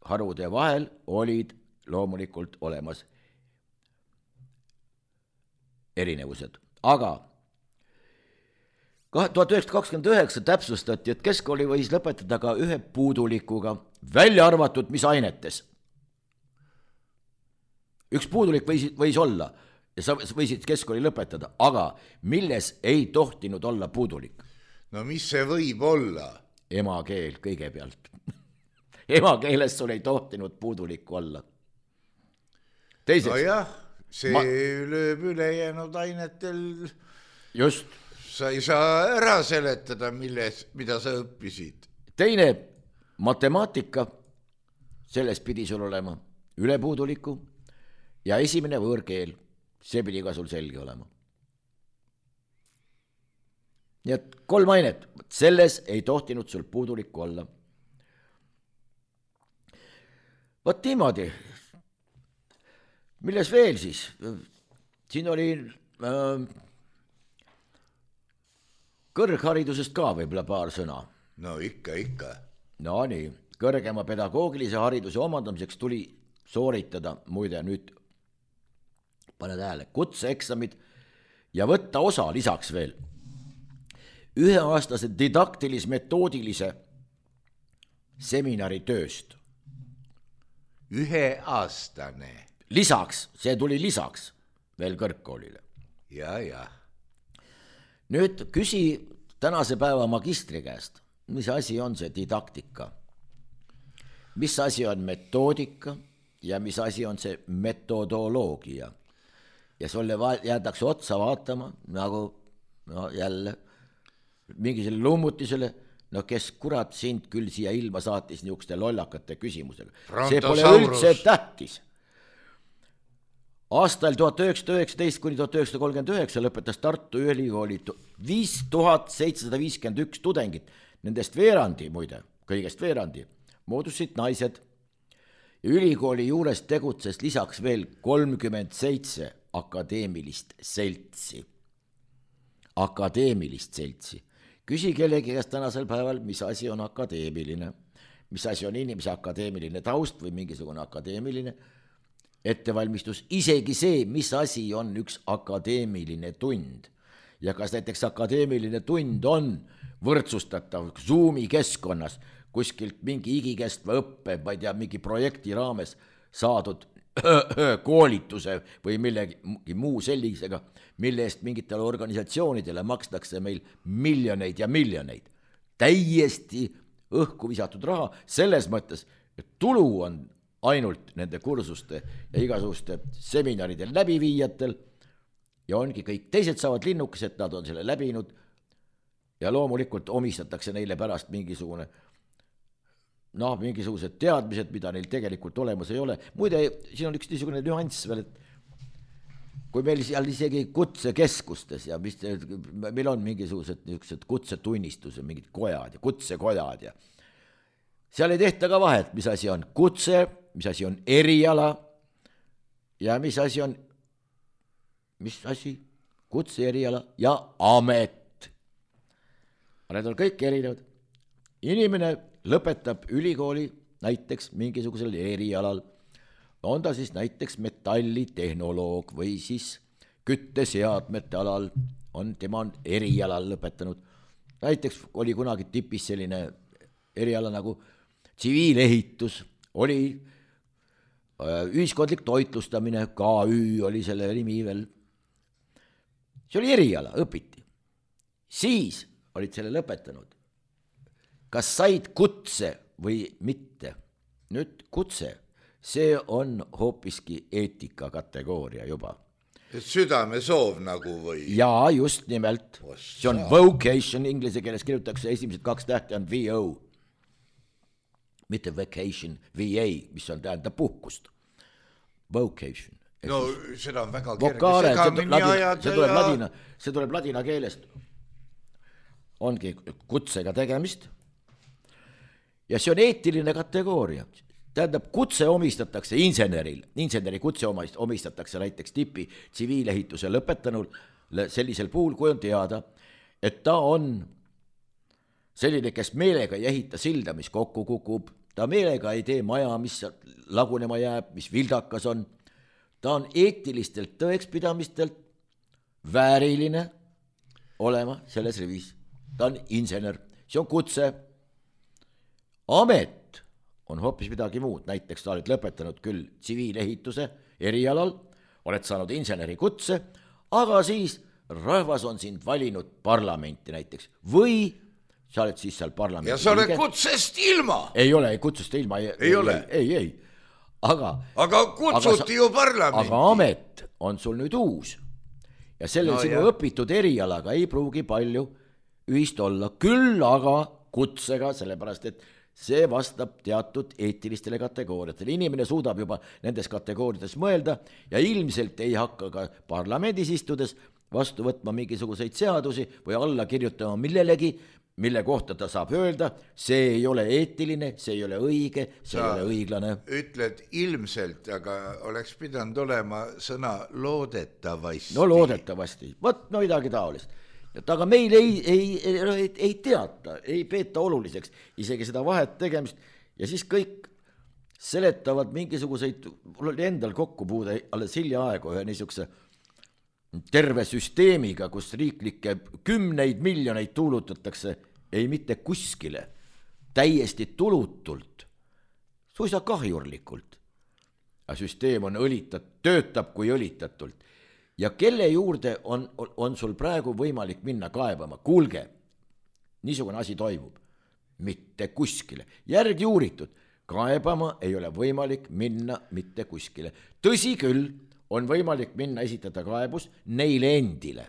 harude vahel olid loomulikult olemas erinevused. Aga tuhat üheksasada kakskümmend üheksa täpsustati, et keskkooli võis lõpetada ka ühe puudulikuga, välja arvatud mis ainetes. Üks puudulik võis, võis olla ja sa võisid keskkooli lõpetada, aga milles ei tohtinud olla puudulik? No mis see võib olla? Emakeel kõigepealt. Emakeeles sul ei tohtinud puudulikku olla. Teiseks. No jah, see ma... lööb ülejäänud ainetel just sa ei saa ära seletada, milles, mida sa õppisid. Teine matemaatika, selles pidi sul olema ülepuuduliku ja esimene võõrkeel, see pidi ka sul selge olema. Nii et kolm ainet, selles ei tohtinud sul puudulikku olla. Võt niimoodi, milles veel siis? Siin oli äh, kõrgharidusest ka võib-olla paar sõna. No ikka, ikka. No nii, kõrgema pedagoogilise hariduse omandamiseks tuli sooritada, muide nüüd, pane tähele, kutseeksamid ja võtta osa lisaks veel üheaastase didaktilis-metoodilise seminari tööst. Üheaastane. Lisaks, see tuli lisaks veel kõrgkoolile. Ja, ja. Nüüd küsi tänase päeva magistri käest, mis asi on see didaktika, mis asi on metoodika ja mis asi on see metodoloogia. Ja sulle jäädakse otsa vaatama, nagu no jälle mingi selle lummutisele, no kes kurat sind küll siia ilma saatis niisuguste lollakate küsimusega. See pole üldse tähtis. Aastal tuhat üheksasada üheksateist kuni tuhat üheksasada kolmkümmend üheksa lõpetas Tartu Ülikooli viis tuhat seitsesada viiskümmend üks tudengit, nendest veerandi, muide, kõigest veerandi, moodustasid naised. Ülikooli juures tegutses lisaks veel kolmkümmend seitse akadeemilist seltsi. Akadeemilist seltsi. Küsi kellegi käest tänasel päeval, mis asi on akadeemiline, mis asi on inimese akadeemiline taust või mingisugune akadeemiline ettevalmistus, isegi see, mis asi on üks akadeemiline tund ja kas näiteks akadeemiline tund on võrdsustatav Zoomi keskkonnas kuskilt mingi igikestva õppe, ma ei tea, mingi projekti raames saadud koolituse või millegi muu sellisega, mille eest mingitele organisatsioonidele makstakse meil miljoneid ja miljoneid. Täiesti õhku visatud raha, selles mõttes, et tulu on ainult nende kursuste ja igasuguste seminaridel läbiviijatel ja ongi kõik teised saavad linnukesed, nad on selle läbinud ja loomulikult omistatakse neile pärast mingisugune noh, mingisugused teadmised, mida neil tegelikult olemas ei ole. Muide, siin on üks niisugune nüanss veel, et kui meil seal isegi kutsekeskustes ja mis, meil on mingisugused niisugused kutsetunnistused, mingid kojad ja kutsekojad ja seal ei tehta ka vahet, mis asi on kutse, mis asi on eriala ja mis asi on, mis asi, kutse, eriala ja amet. Need on kõik erinevad. Inimene lõpetab ülikooli näiteks mingisugusel erialal, on ta siis näiteks metallitehnoloog või siis kütteseadmete alal, on tema on erialal lõpetanud. Näiteks oli kunagi tipis selline eriala nagu tsiviilehitus, oli ühiskondlik toitlustamine, K Ü oli selle nimi veel. See oli eriala, õpiti. Siis olid selle lõpetanud. Kas said kutse või mitte? Nüüd kutse, see on hoopiski eetika kategooria juba. Südame soov nagu või? Jaa, just nimelt. See on vocation, inglise keeles kirjutatakse, esimesed kaks tähti on V O. Mitte vacation, V A, mis on tähendab puhkust. Vocation. No seda on väga Vokaare, kerge segamini ajada. See tuleb ladina, see tuleb ladina keelest. Ongi kutsega tegemist. Ja see on eetiline kategooria. Tähendab, kutse omistatakse inseneril, inseneri kutse omistatakse näiteks tipi tsiviilehituse lõpetanul sellisel puhul, kui on teada, et ta on selline, kes meelega ei ehita silda, mis kokku kukub, ta meelega ei tee maja, mis lagunema jääb, mis vildakas on, ta on eetilistelt tõekspidamistelt vääriline olema selles rivis, ta on insener, see on kutse. Amet on hoopis midagi muud, näiteks sa oled lõpetanud küll tsiviilehituse erialal, oled saanud inseneri kutse, aga siis rahvas on sind valinud parlamenti näiteks või sa oled siis seal parlamenti. Ja sa oled liige. Kutsest ilma. Ei ole, kutsest ilma. Ei, ei ole. Ei, ei, aga. Aga kutsuti aga, ju parlamenti. Aga amet on sul nüüd uus ja sellel No sinu jah. õpitud erialaga ei pruugi palju ühist olla, küll aga kutsega, sellepärast et see vastab teatud eetilistele kategooriatele. Inimene suudab juba nendes kategooriates mõelda ja ilmselt ei hakka ka parlamendis istudes vastu võtma mingisuguseid seadusi või alla kirjutama millelegi, mille kohta ta saab öelda, see ei ole eetiline, see ei ole õige, see Sa ei ole õiglane. Ütled ilmselt, aga oleks pidanud olema sõna loodetavasti. No loodetavasti, vot no midagi taolist. Et aga meil ei, ei, ei, ei teata, ei peeta oluliseks isegi seda vahet tegemist ja siis kõik seletavad mingisuguseid, mul oli endal kokkupuude alles hiljaaegu ühe niisuguse terve süsteemiga, kus riiklikke kümneid miljoneid tuulutatakse ei mitte kuskile, täiesti tulutult, suisa kahjurlikult. Ja süsteem on õlitat, töötab kui õlitatult. Ja kelle juurde on, on sul praegu võimalik minna kaebama? Kuulge, niisugune asi toimub. Mitte kuskile. Järgi uuritud, kaebama ei ole võimalik minna mitte kuskile. Tõsi küll, on võimalik minna esitada kaebus neile endile.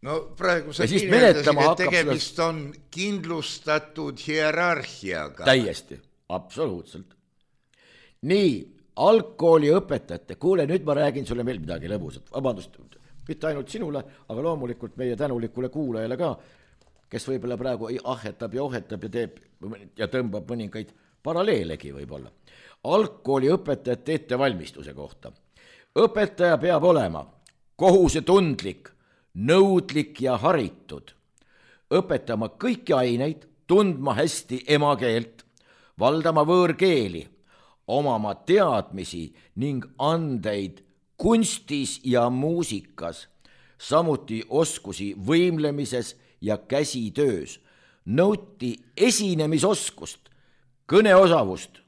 No praegu sa Ja siis kirjeldasid, menetlema et hakkab tegemist seda- on kindlustatud hierarhiaga. Täiesti, absoluutselt. Nii, algkooli õpetajate, kuule, nüüd ma räägin sulle veel midagi lõbusat, vabandust, mitte ainult sinule, aga loomulikult meie tänulikule kuulajale ka, kes võib-olla praegu ahetab ja ohetab ja teeb ja tõmbab mõningaid paralleelegi võib-olla. Algkooli õpetajate ettevalmistuse kohta. Õpetaja peab olema kohusetundlik, nõudlik ja haritud, õpetama kõiki aineid, tundma hästi emakeelt, valdama võõrkeeli, omama teadmisi ning andeid kunstis ja muusikas, samuti oskusi võimlemises ja käsitöös, nõuti esinemisoskust, kõneosavust,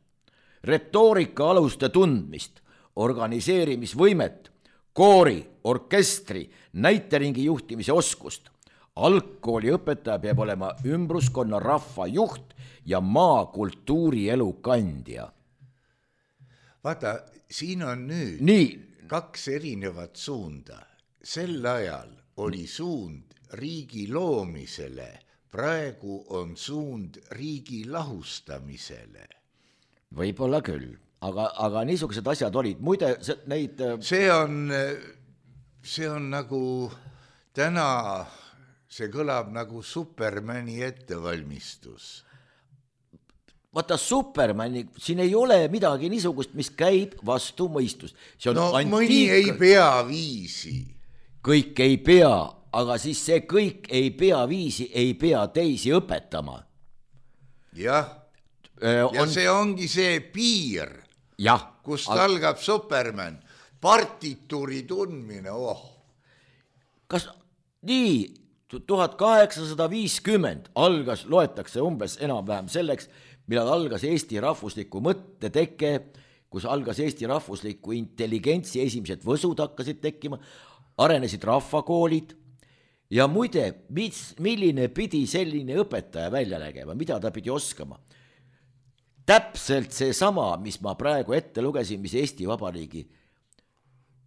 retoorika aluste tundmist, organiseerimisvõimet, koori, orkestri, näiteringi juhtimise oskust. Algkooli õpetaja peab olema ümbruskonna rahva juht ja maa kultuurielu kandja. Vaata, siin on nüüd Nii. kaks erinevat suunda. Sel ajal oli suund riigi loomisele, praegu on suund riigi lahustamisele. Võib-olla küll, aga, aga niisugused asjad olid. Muide, neid... See on, see on nagu täna, see kõlab nagu Supermani ettevalmistus. Vaata, Supermani, siin ei ole midagi niisugust, mis käib vastu mõistust. See on no antiik... mõni ei pea viisi. Kõik ei pea, aga siis see kõik ei pea viisi, ei pea teisi õpetama. Jah. Ja on... see ongi see piir, jah, kust aga... algab Superman, partituuri tundmine, oh. Kas nii, tuhat kaheksasada viiskümmend algas, loetakse umbes enam-vähem selleks, millal algas Eesti rahvusliku mõtteteke, kus algas Eesti rahvusliku intelligentsi esimesed võsud hakkasid tekkima, arenesid rahvakoolid ja muide, mis, milline pidi selline õpetaja välja nägema, mida ta pidi oskama. Täpselt see sama, mis ma praegu ette lugesin, mis Eesti Vabariigi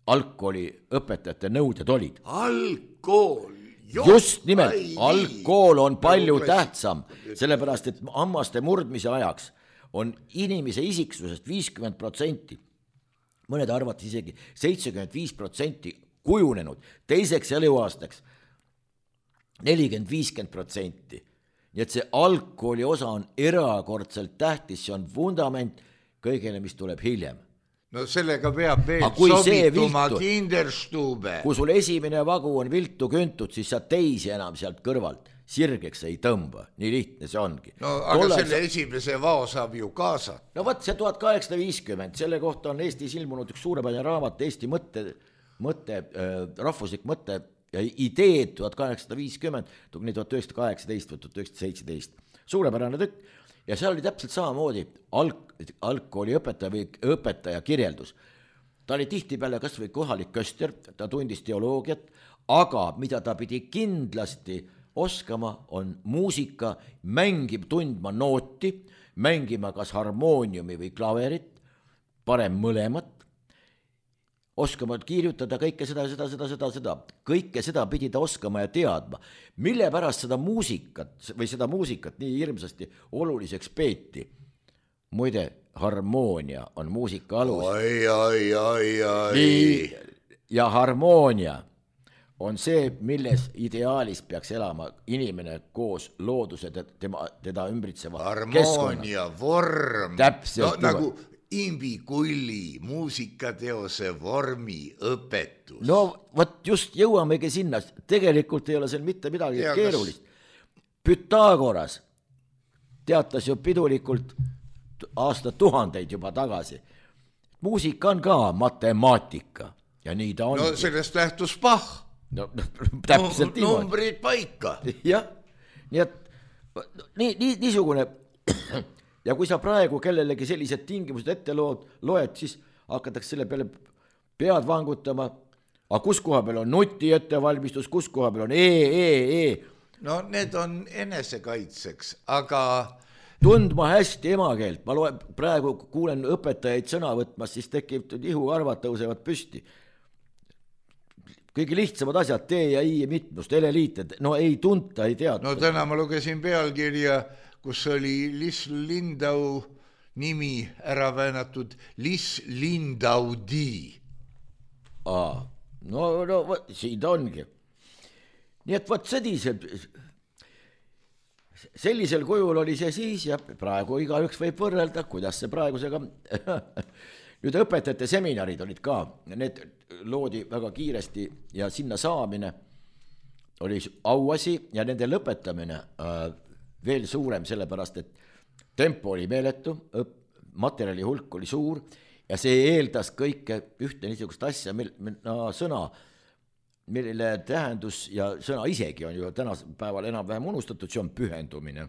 algkooli õpetajate nõuded olid. Algkool, just nimelt, algkool on palju tähtsam, sellepärast et hammaste murdmise ajaks on inimese isiksusest viiskümmend protsenti, mõned arvati isegi seitsekümmend viis protsenti kujunenud, teiseks eluaastaks nelikümmend viiskümmend protsenti. Nii et see algkooli osa on erakordselt tähtis, see on vundament kõigele, mis tuleb hiljem. No sellega peab veel sobituma kinderstube. Kui sul esimene vagu on viltu küntud, siis sa teisi enam sealt kõrvalt sirgeks ei tõmba, nii lihtne see ongi. No aga Tolle selle sa... esimese vao saab ju kaasata. No võt, see tuhat kaheksasada viiskümmend, selle kohta on Eestis ilmunud üks suurepärane raamat, Eesti mõtte, mõtte äh, rahvuslik mõtte ja ideed tuhat kaheksasada viiskümmend, nii tuhat üheksasada kaheksateist või tuhat üheksasada seitseteist. Suurepärane tükk ja seal oli täpselt samamoodi alg, algkooli õpetaja või õpetaja kirjeldus. Ta oli tihtipeale kas või kohalik köster, ta tundis teoloogiat, aga mida ta pidi kindlasti oskama on muusika, mängib tundma nooti, mängima kas harmooniumi või klaverit, parem mõlemat, oskama kirjutada kõike seda, seda, seda, seda, seda. Kõike seda pidi ta oskama ja teadma. Mille pärast seda muusikat või seda muusikat nii hirmsasti oluliseks peeti? Muide, harmoonia on muusika alus. Ai, ai, ai, ai. Nii, ja harmoonia on see, milles ideaalis peaks elama inimene koos looduse tema, teda ümbritseva harmoonia, keskkonna. Vorm. Täpselt. No, nagu Imbi Kulli muusikateose vormi õpetus. No võt just jõuamegi sinna. Tegelikult ei ole seal mitte midagi ja, keerulist. Pythagoras teatas ju pidulikult aasta tuhandeid juba tagasi. Muusika on ka matemaatika ja nii ta on. No sellest lähtus Bach. No, täpselt no, numbrid paika. Jah, nii et nii, nii, niisugune ja kui sa praegu kellelegi sellised tingimused ette lood, loed, siis hakatakse selle peale pead vangutama, aga kus koha peal on nuti ettevalmistus, kus koha peal on e, e, e. No need on enesekaitseks, aga tundma hästi emakeelt, ma loen, praegu kuulen õpetajaid sõna võtmas, siis tekib ihuarvad tõusevad püsti. Kõige lihtsamad asjad, T ja I mitmust, eleliited, no ei tunta, ei teata. No täna ma lugesin pealkirja, kus oli Liis Lindau nimi ära väänatud Liis Lindaudi. Aa, no, no siin ta ongi. Nii et võt sellisel, sellisel kujul oli see siis ja praegu igaüks võib võrrelda, kuidas see praegusega nüüd õpetajate seminarid olid ka, need loodi väga kiiresti ja sinna saamine oli auasi ja nende lõpetamine äh, veel suurem, sellepärast et tempo oli meeletu, materjali hulk oli suur ja see eeldas kõike ühte niisugust asja, mil, no, sõna, mille tähendus ja sõna isegi on ju tänasel päeval enam-vähem unustatud, see on pühendumine.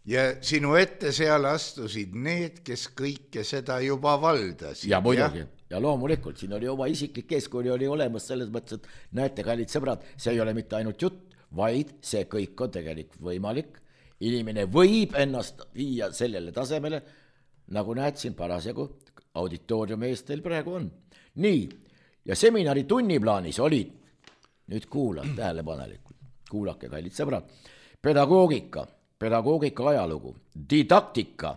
Ja sinu ette seal astusid need, kes kõike seda juba valdasid. Ja muidugi, ja, ja loomulikult, siin oli oma isiklik eeskõli oli olemas selles mõttes, et näete, kallid sõbrad, see ei ole mitte ainult jutt, vaid see kõik on tegelikult võimalik. Inimene võib ennast viia sellele tasemele, nagu näed siin parasjagu auditooriumi eest teil praegu on. Nii, ja seminari tunniplaanis olid, nüüd kuula tähelepanelikult, kuulake, kallid sõbrad, pedagoogika, pedagoogika ajalugu, didaktika,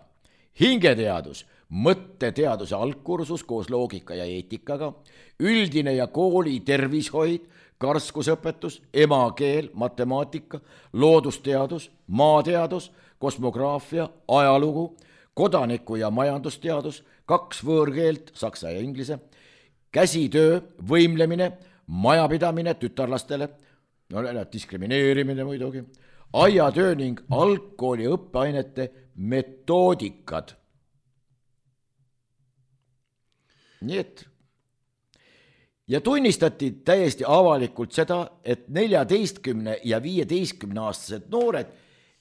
hingeteadus, mõtteteaduse algkursus koos loogika ja eetikaga, üldine ja kooli tervishoid, karskusõpetus, emakeel, matemaatika, loodusteadus, maateadus, kosmograafia, ajalugu, kodaniku- ja majandusteadus, kaks võõrkeelt, saksa ja inglise, käsitöö, võimlemine, majapidamine tütarlastele, no, diskrimineerimine muidugi, aiatöö ning algkooli õppeainete metoodikad. Nii et ja tunnistati täiesti avalikult seda, et neljateistkümne ja viieteistkümne aastased noored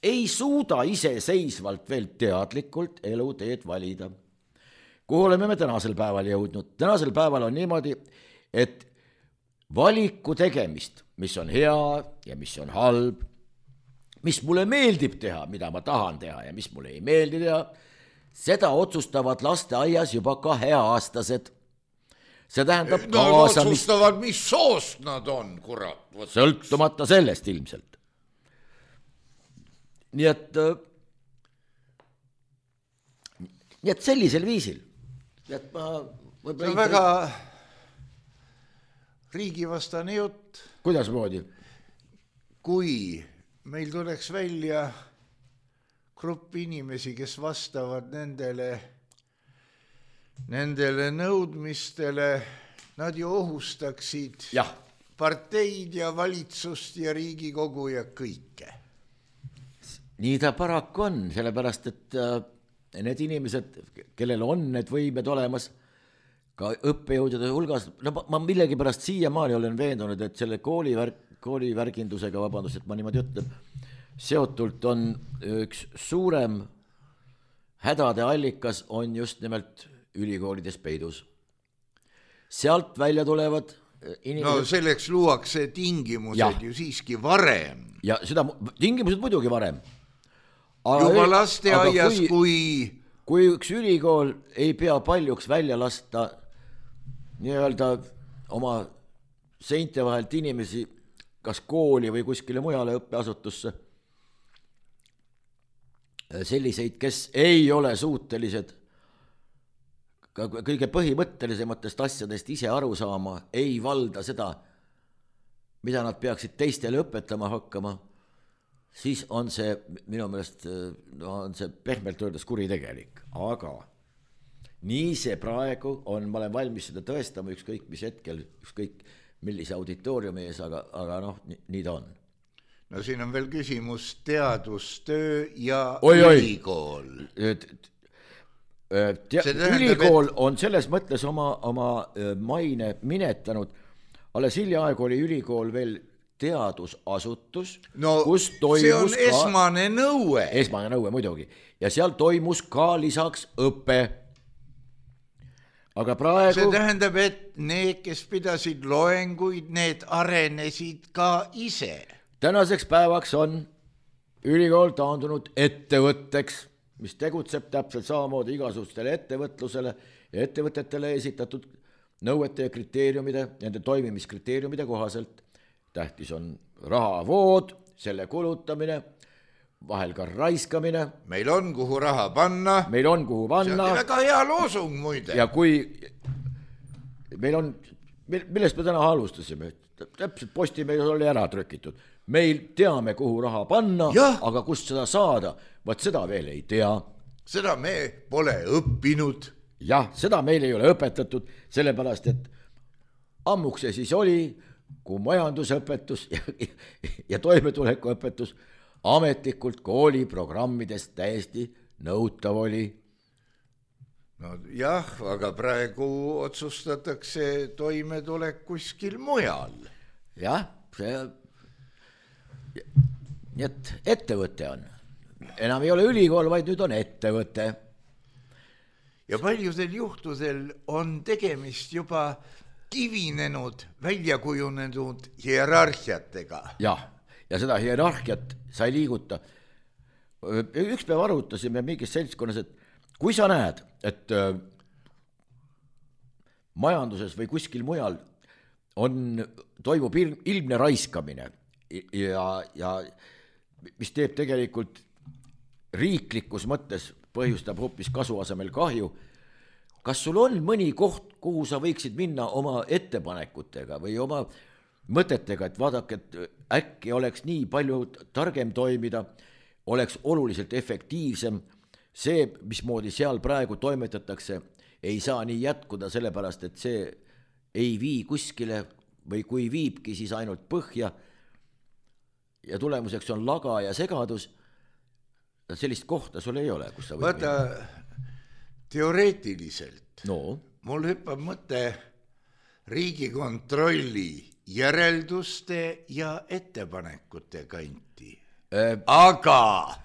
ei suuda iseseisvalt veel teadlikult eluteed valida. Kuhu oleme me tänasel päeval jõudnud? Tänasel päeval on niimoodi, et valiku tegemist, mis on hea ja mis on halb, mis mulle meeldib teha, mida ma tahan teha ja mis mulle ei meeldi teha, seda otsustavad lasteaias juba kaheaastased. See tähendab no, kaasamist. Otsustavad, mis soost nad on, kurat. Sõltumata sellest ilmselt. Nii et, nii et sellisel viisil. Et ma, see on väga riigivastane jutt. Kuidas moodi? Kui meil tuleks välja grupp inimesi, kes vastavad nendele, nendele nõudmistele, nad ju ohustaksid ja. parteid ja valitsust ja Riigikogu ja kõike. Nii ta paraku on, sellepärast, et need inimesed, kellel on need võimed olemas, ka õppejõudude hulgas, no ma millegi pärast siiamaani olen veendunud, et selle koolivärk, koolivärgindusega, vabandust, et ma niimoodi ütlen, seotult on üks suurem hädade allikas on just nimelt ülikoolides peidus. Sealt välja tulevad inimesed... No selleks luuakse tingimused ja. Ju siiski varem. Ja seda tingimused muidugi varem. Aga juba lasteaias, kui, kui... Kui üks ülikool ei pea paljuks välja lasta nii-öelda oma seinte vahelt inimesi kas kooli või kuskile mujale õppeasutusse, selliseid, kes ei ole suutelised ka kõige põhimõttelisematest asjadest ise aru saama, ei valda seda, mida nad peaksid teistele õpetama hakkama, siis on see minu meelest no, on see pehmelt öeldes kuritegelik. Aga nii see praegu on, ma olen valmis seda tõestama ükskõik mis hetkel, ükskõik millise auditooriumi ees, aga, aga noh, nii, nii ta on. No siin on veel küsimus teadustöö ja oi, ülikool. Te, ülikool et... on selles mõttes oma, oma maine minetanud. Alles hiljaaegu oli ülikool veel teadusasutus, no, kus toimus see on ka... esmane nõue. Esmane nõue muidugi. Ja seal toimus ka lisaks õpe. Aga praegu... See tähendab, et need, kes pidasid loenguid, need arenesid ka ise. Tänaseks päevaks on ülikool taandunud ettevõtteks, mis tegutseb täpselt samamoodi igasugustele ettevõtlusele ja ettevõtetele esitatud nõuete ja kriteeriumide, nende toimimiskriteeriumide kohaselt. Tähtis on rahavood, selle kulutamine, vahel ka raiskamine. Meil on kuhu raha panna. Meil on kuhu panna. See on väga hea loosung muide. Ja kui meil on, millest me täna alustasime, täpselt Postimees oli ära trükitud. Meil teame, kuhu raha panna, ja. Aga kust seda saada, vaat seda veel ei tea. Seda me pole õppinud. Jah, seda meil ei ole õpetatud, sellepärast, et ammuks see siis oli, kui majandusõpetus ja, ja toimetulekuõpetus ametlikult kooliprogrammidest täiesti nõutav oli. No jah, aga praegu otsustatakse toimetulek kuskil mujal. Jah, see... Nii et ettevõte on. Enam ei ole ülikool, vaid nüüd on ettevõte. Ja paljudel juhtudel on tegemist juba kivinenud, välja kujunenud hierarhiatega. Jah, ja seda hierarhiat sa ei liiguta. Üks päev arutasime mingis seltskonnas, et kui sa näed, et majanduses või kuskil mujal on, toimub ilmne raiskamine ja, ja mis teeb tegelikult riiklikus mõttes, põhjustab hoopis kasu asemel kahju. Kas sul on mõni koht, kuhu sa võiksid minna oma ettepanekutega või oma mõtetega, et vaadake, et äkki oleks nii palju targem toimida, oleks oluliselt efektiivsem. See, mismoodi seal praegu toimetatakse, ei saa nii jätkuda, sellepärast, et see ei vii kuskile või kui viibki, siis ainult põhja. Ja tulemuseks on laga ja segadus. Sellist kohta sul ei ole, kus sa võid Vaata, teoreetiliselt no. Mul hüppab mõte Riigikontrolli järelduste ja ettepanekute kanti. Äh, aga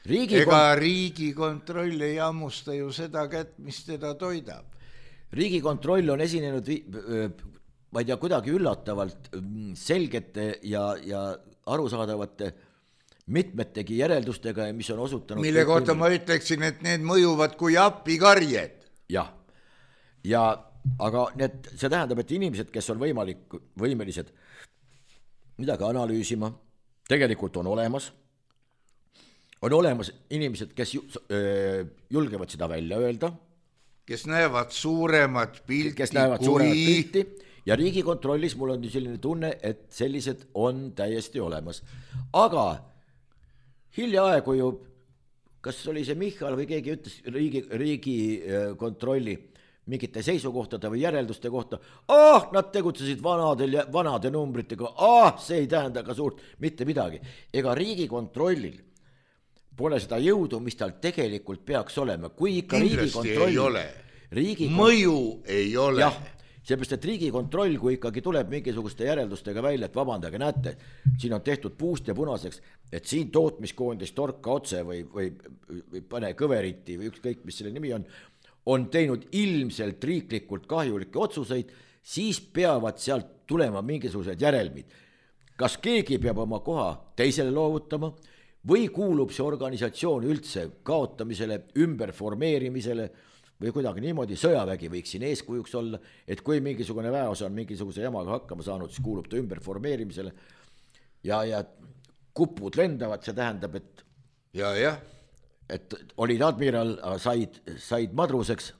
Riigikon... ega Riigikontroll ei ammusta ju seda kätt, mis teda toidab. Riigikontroll on esinenud, ma ei tea, kuidagi üllatavalt selgete ja, ja arusaadavate mitmetegi järeldustega, mis on osutanud... Mille kohta ma ütleksin, et need mõjuvad kui appikarjed. Jah, ja, aga need, see tähendab, et inimesed, kes on võimalik, võimelised midagi analüüsima, tegelikult on olemas. On olemas inimesed, kes julgevad seda välja öelda. Kes näevad suuremat pilti. Kes näevad kui... suuremat pilti. Ja Riigikontrollis mul on selline tunne, et sellised on täiesti olemas. Aga hiljaaegu ju, kas oli see Michal või keegi ütles riigi, Riigikontrolli mingite seisukohtade või järelduste kohta, ah, nad tegutsesid vanadel ja vanade numbritega, ah, see ei tähenda ka suurt mitte midagi. Ega Riigikontrollil pole seda jõudu, mis tal tegelikult peaks olema. Kui ikka Riigikontroll... ei ole. Riigikont... Mõju ei ole. Jah, seepärast, et Riigikontroll, kui ikkagi tuleb mingisuguste järeldustega välja, et vabandage, näete, siin on tehtud puust ja punaseks, et siin tootmiskoondis torka otse või, või, või pane kõveriti või ükskõik, mis selle nimi on, on teinud ilmselt riiklikult kahjulikke otsuseid, siis peavad sealt tulema mingisugused järelmid. Kas keegi peab oma koha teisele loovutama või kuulub see organisatsioon üldse kaotamisele, ümberformeerimisele või kuidagi niimoodi, sõjavägi võiks siin eeskujuks olla, et kui mingisugune väeosa on mingisuguse jamaga hakkama saanud, siis kuulub ta ümber formeerimisele ja, ja kupud lendavad, see tähendab, et ja, jah. et olid admiral, said, said madruseks.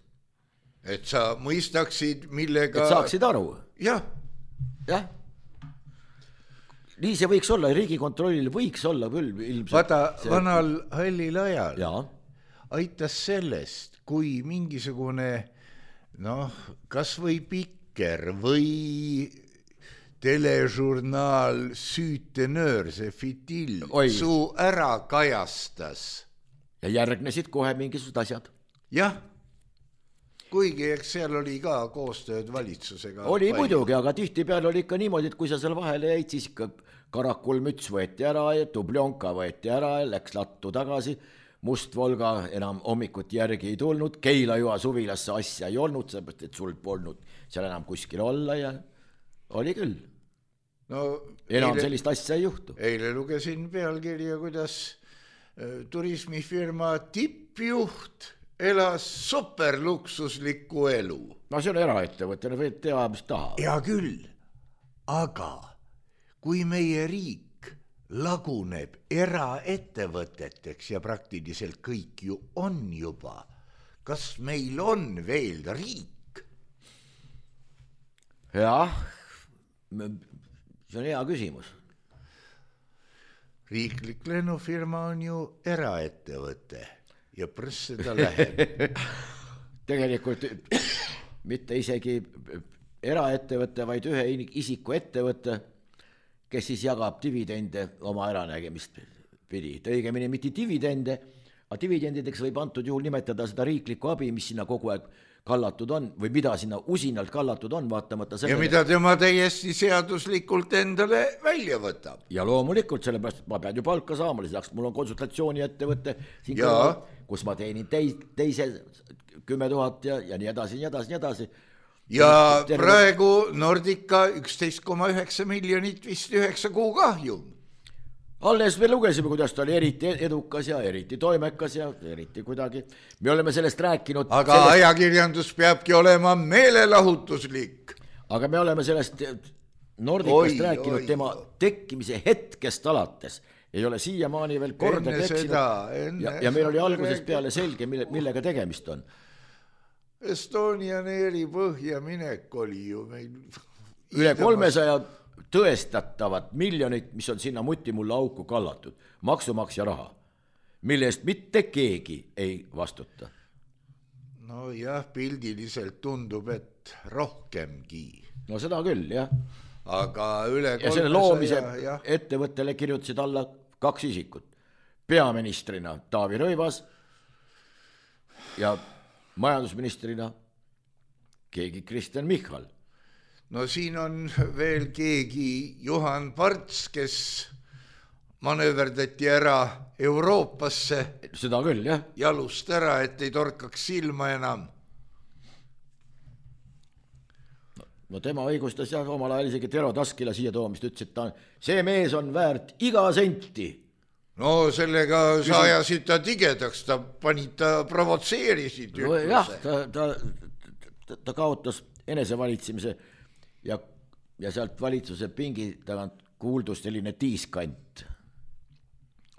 Et sa mõistaksid, millega... Et saaksid aru. Jah. Jah. Nii see võiks olla, Riigikontrollil võiks olla küll ilmselt. Vaata, see... vanal hallil ajal ja. aitas sellest, kui mingisugune, noh, kas või pikker või teležurnaal Süütenöör, see Fitil, su ära kajastas. Ja järgnesid kohe mingisugused asjad. Jah, kuigi eks seal oli ka koostööd valitsusega. Oli palju. Muidugi, aga tihti peal oli ikka niimoodi, et kui sa seal vahele jäid, siis ikka karakulmüts võeti ära ja dubljonka võeti ära ja läks lattu tagasi. Must Volga enam hommikut järgi ei tulnud, Keila-Joa suvilasse asja ei olnud, seepärast, et sul polnud seal enam kuskil olla ja oli küll. No, enam eile, sellist asja ei juhtu. Eile lugesin pealkirja, kuidas turismifirma tippjuht elas superluksuslikku elu. No see on eraettevõte, võid teha, mis taha. Ja küll, aga kui meie riik laguneb eraettevõteteks ja praktiliselt kõik ju on juba, kas meil on veel riik? Jah, see on hea küsimus. Riiklik lennufirma on ju eraettevõte ja prõss seda läheb. Tegelikult mitte isegi eraettevõte, vaid ühe isiku ettevõte, kes siis jagab dividende oma äranägemist pidi. Õigemini mitte dividende, aga dividendideks võib antud juhul nimetada seda riiklikku abi, mis sinna kogu aeg kallatud on või mida sinna usinalt kallatud on, vaatamata sellele. Ja mida tema täiesti seaduslikult endale välja võtab. Ja loomulikult, sellepärast ma pean ju palka saama, lisaks mul on konsultatsiooni ettevõtte, siin kõrval, kus ma teenin teis, teise kümme tuhat ja, ja nii edasi, nii edasi, nii edasi. Ja terve... praegu Nordica üksteist koma üheksa miljonit vist üheksa kuu kahjum. Alles me lugesime, kuidas ta oli eriti edukas ja eriti toimekas ja eriti kuidagi. Me oleme sellest rääkinud. Aga sellest... ajakirjandus peabki olema meelelahutuslik. Aga me oleme sellest Nordicast oi, rääkinud oi, tema oi. tekkimise hetkest alates. Ei ole siiamaani veel korda teksinud. Ja, ja meil oli algusest peale selge, mille, millega tegemist on. Estonian Airi põhja minek oli ju meil... Üle kolmesaja tõestatavat miljonit, mis on sinna mutti mulle auku kallatud. Maksumaksja raha, mille eest mitte keegi ei vastuta. No jah, pildiliselt tundub, et rohkemgi. No seda küll, jah. Aga üle kolmesaja... Ja selle loomise ja... ettevõttele kirjutasid alla kaks isikut. Peaministrina Taavi Rõivas ja... majandusministrina keegi Kristen Michal. No siin on veel keegi Juhan Parts, kes manööverdati ära Euroopasse. Seda küll, jah. Jalust ära, et ei torkaks silma enam. No, no tema õigustas jah omal ajal isegi Tero Taskila siia toomist, ütles, et ta, see mees on väärt iga senti. No sellega sa ajasid ta tigedaks, ta panid, ta provotseerisid. No, jah, ta, ta, ta, ta kaotas enesevalitsemise ja, ja sealt valitsuse pingi tagant kuuldus selline tiiskant.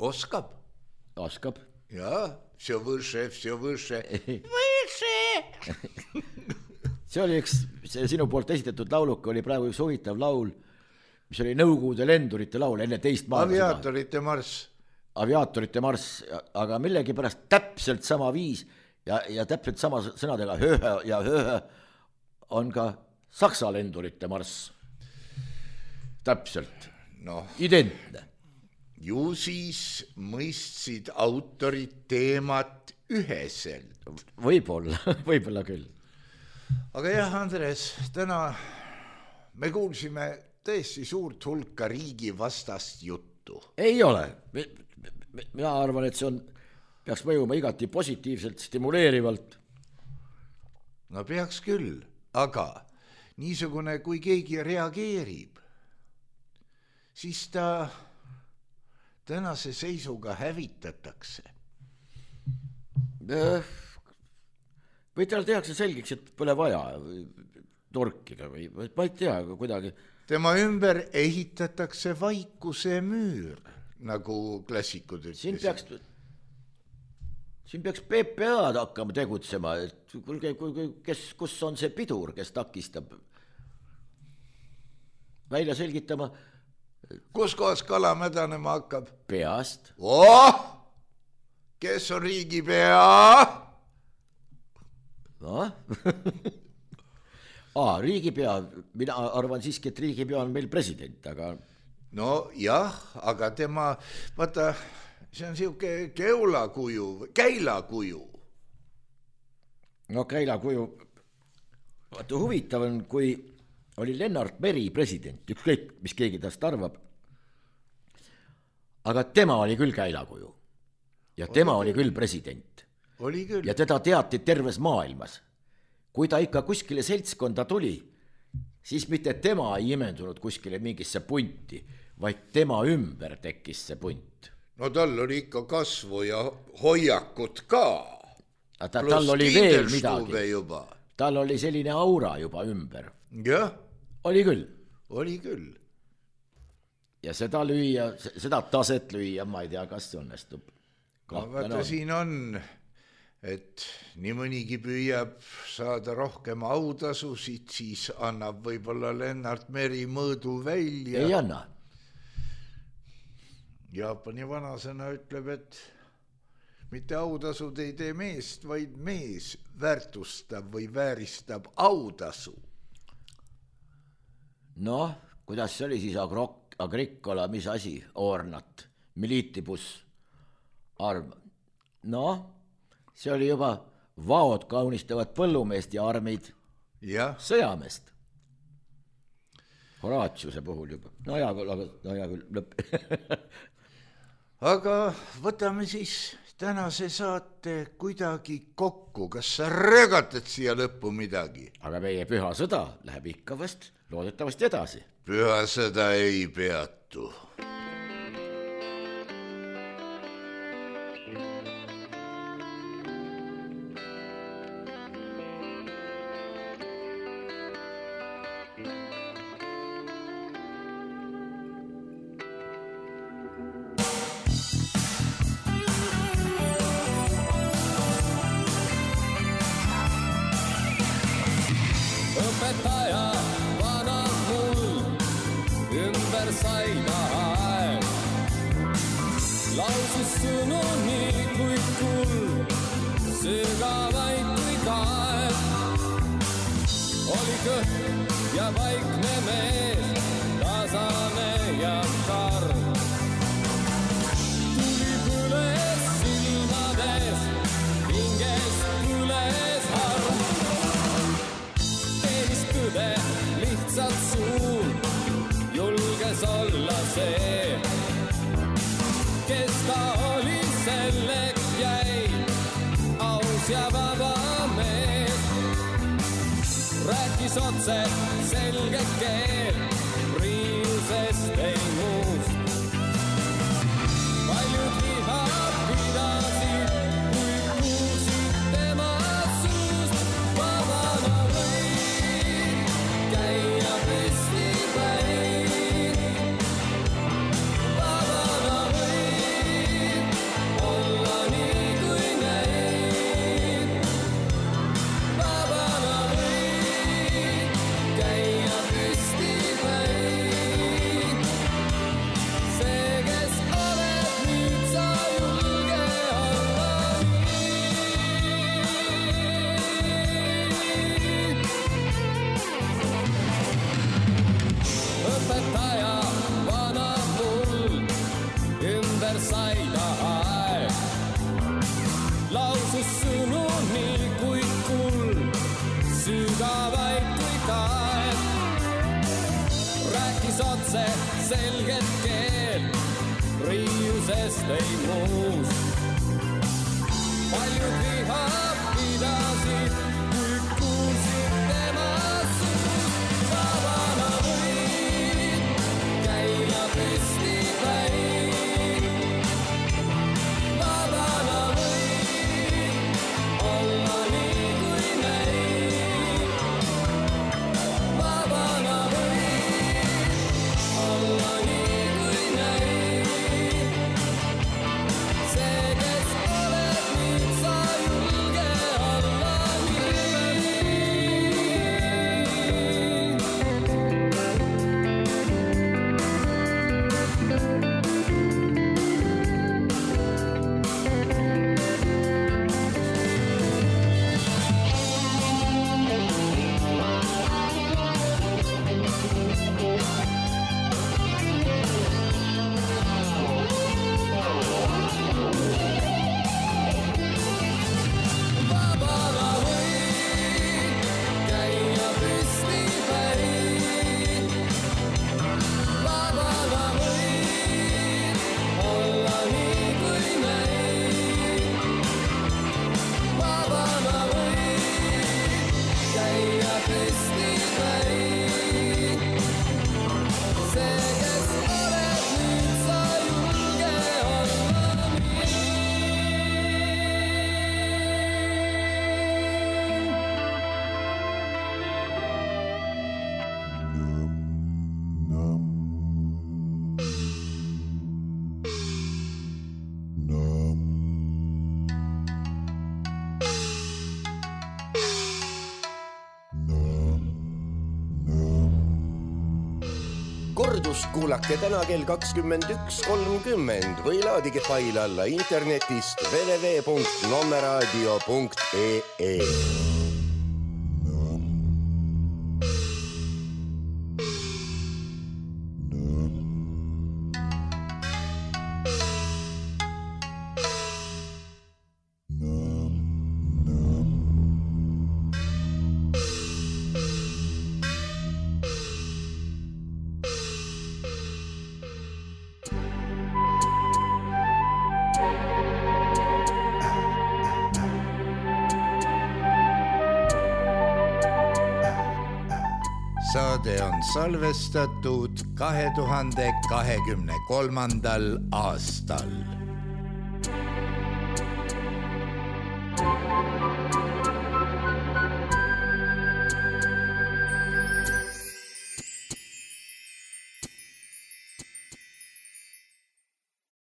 Oskab. Oskab. Jaa, все выше, все выше. Выше! See oli üks, see sinu poolt esitatud lauluka oli praegu üks huvitav laul, mis oli Nõukogude lendurite laul enne teist maailmasõda. Aviaatorite marss. Aviaatorite marss, aga millegi pärast täpselt sama viis ja, ja täpselt sama sõnadega höhö ja höhö on ka Saksa lendurite marss. Täpselt. No, identne. Ju siis mõistsid autorid teemat üheselt. Võib-olla, võib-olla küll. Aga jah, Andres, täna me kuulsime tõesti suurt hulka riigi vastast juttu. Ei ole. Mina arvan, et see on, peaks mõjuma igati positiivselt, stimuleerivalt. No peaks küll, aga niisugune, kui keegi reageerib, siis ta tänase seisuga hävitatakse. või tal tehakse selgeks, et pole vaja torkida või ma ei tea, aga kuidagi. Tema ümber ehitatakse vaikuse müür, nagu klassikud ütlesid. Siin peaks, siin peaks P P A-d hakkama tegutsema, et kuulge, kes, kus on see pidur, kes takistab välja selgitama. Kus kohas kala mädanema hakkab? Peast. Oh! Kes on riigipea? No? Aa, riigipea, mina arvan siiski, et riigipea on meil president, aga... No jah, aga tema, vaata, see on siuke keulakuju, käilakuju. No käilakuju, vaata huvitav on, kui oli Lennart Meri president, ükskõik, mis keegi tast arvab, aga tema oli küll käilakuju ja oli tema küll. Oli küll president. Oli küll. Ja teda teati terves maailmas. Kui ta ikka kuskile seltskonda tuli, siis mitte tema ei imendunud kuskile mingisse punti, vaid tema ümber tekkis see punt. No tal oli ikka kasvu ja hoiakut ka. Ta, tal oli veel midagi. Juba. Tal oli selline aura juba ümber. Jah. Oli küll. Oli küll. Ja seda lüüa, seda taset lüüa, ma ei tea, kas see õnnestub. No, vaata, on. Siin on... et nii mõnigi püüab saada rohkem autasusid, siis annab võib-olla Lennart Meri mõõdu välja. Ei anna. Jaapani vanasõna ütleb, et mitte autasud ei tee meest, vaid mees väärtustab või vääristab autasu. Noh, kuidas see oli siis agrok, agrikola, mis asi, ornat, militibus, arm. Noh, see oli juba vaod kaunistavad põllumeest ja armid ja. Sõjameest. Horaatiuse puhul juba. No hea küll, aga no hea küll, lõpp. Aga võtame siis tänase saate kuidagi kokku. Kas sa rögatad siia lõppu midagi? Aga meie püha sõda läheb ikka vast loodetavasti edasi. Püha sõda ei peatu. Otse selge keel, riiusest ei muust. Paljud liha pidasid, kui kuulsid tema suust. Vabana võib käia festivalil. Vabana võib olla nii kui neid. Vabana selget keel, riiusest ei muust. Paljud liha pidasid, kui kuulsid tema suust. Vabana võib käia festivalil. Vabana võib olla nii kui kordust kuulake täna kell kakskümmend üks kolmkümmend või laadige fail alla internetist w w w punkt nommeraadio punkt e e. Saade on salvestatud kahe tuhande kahekümne kolmandal aastal.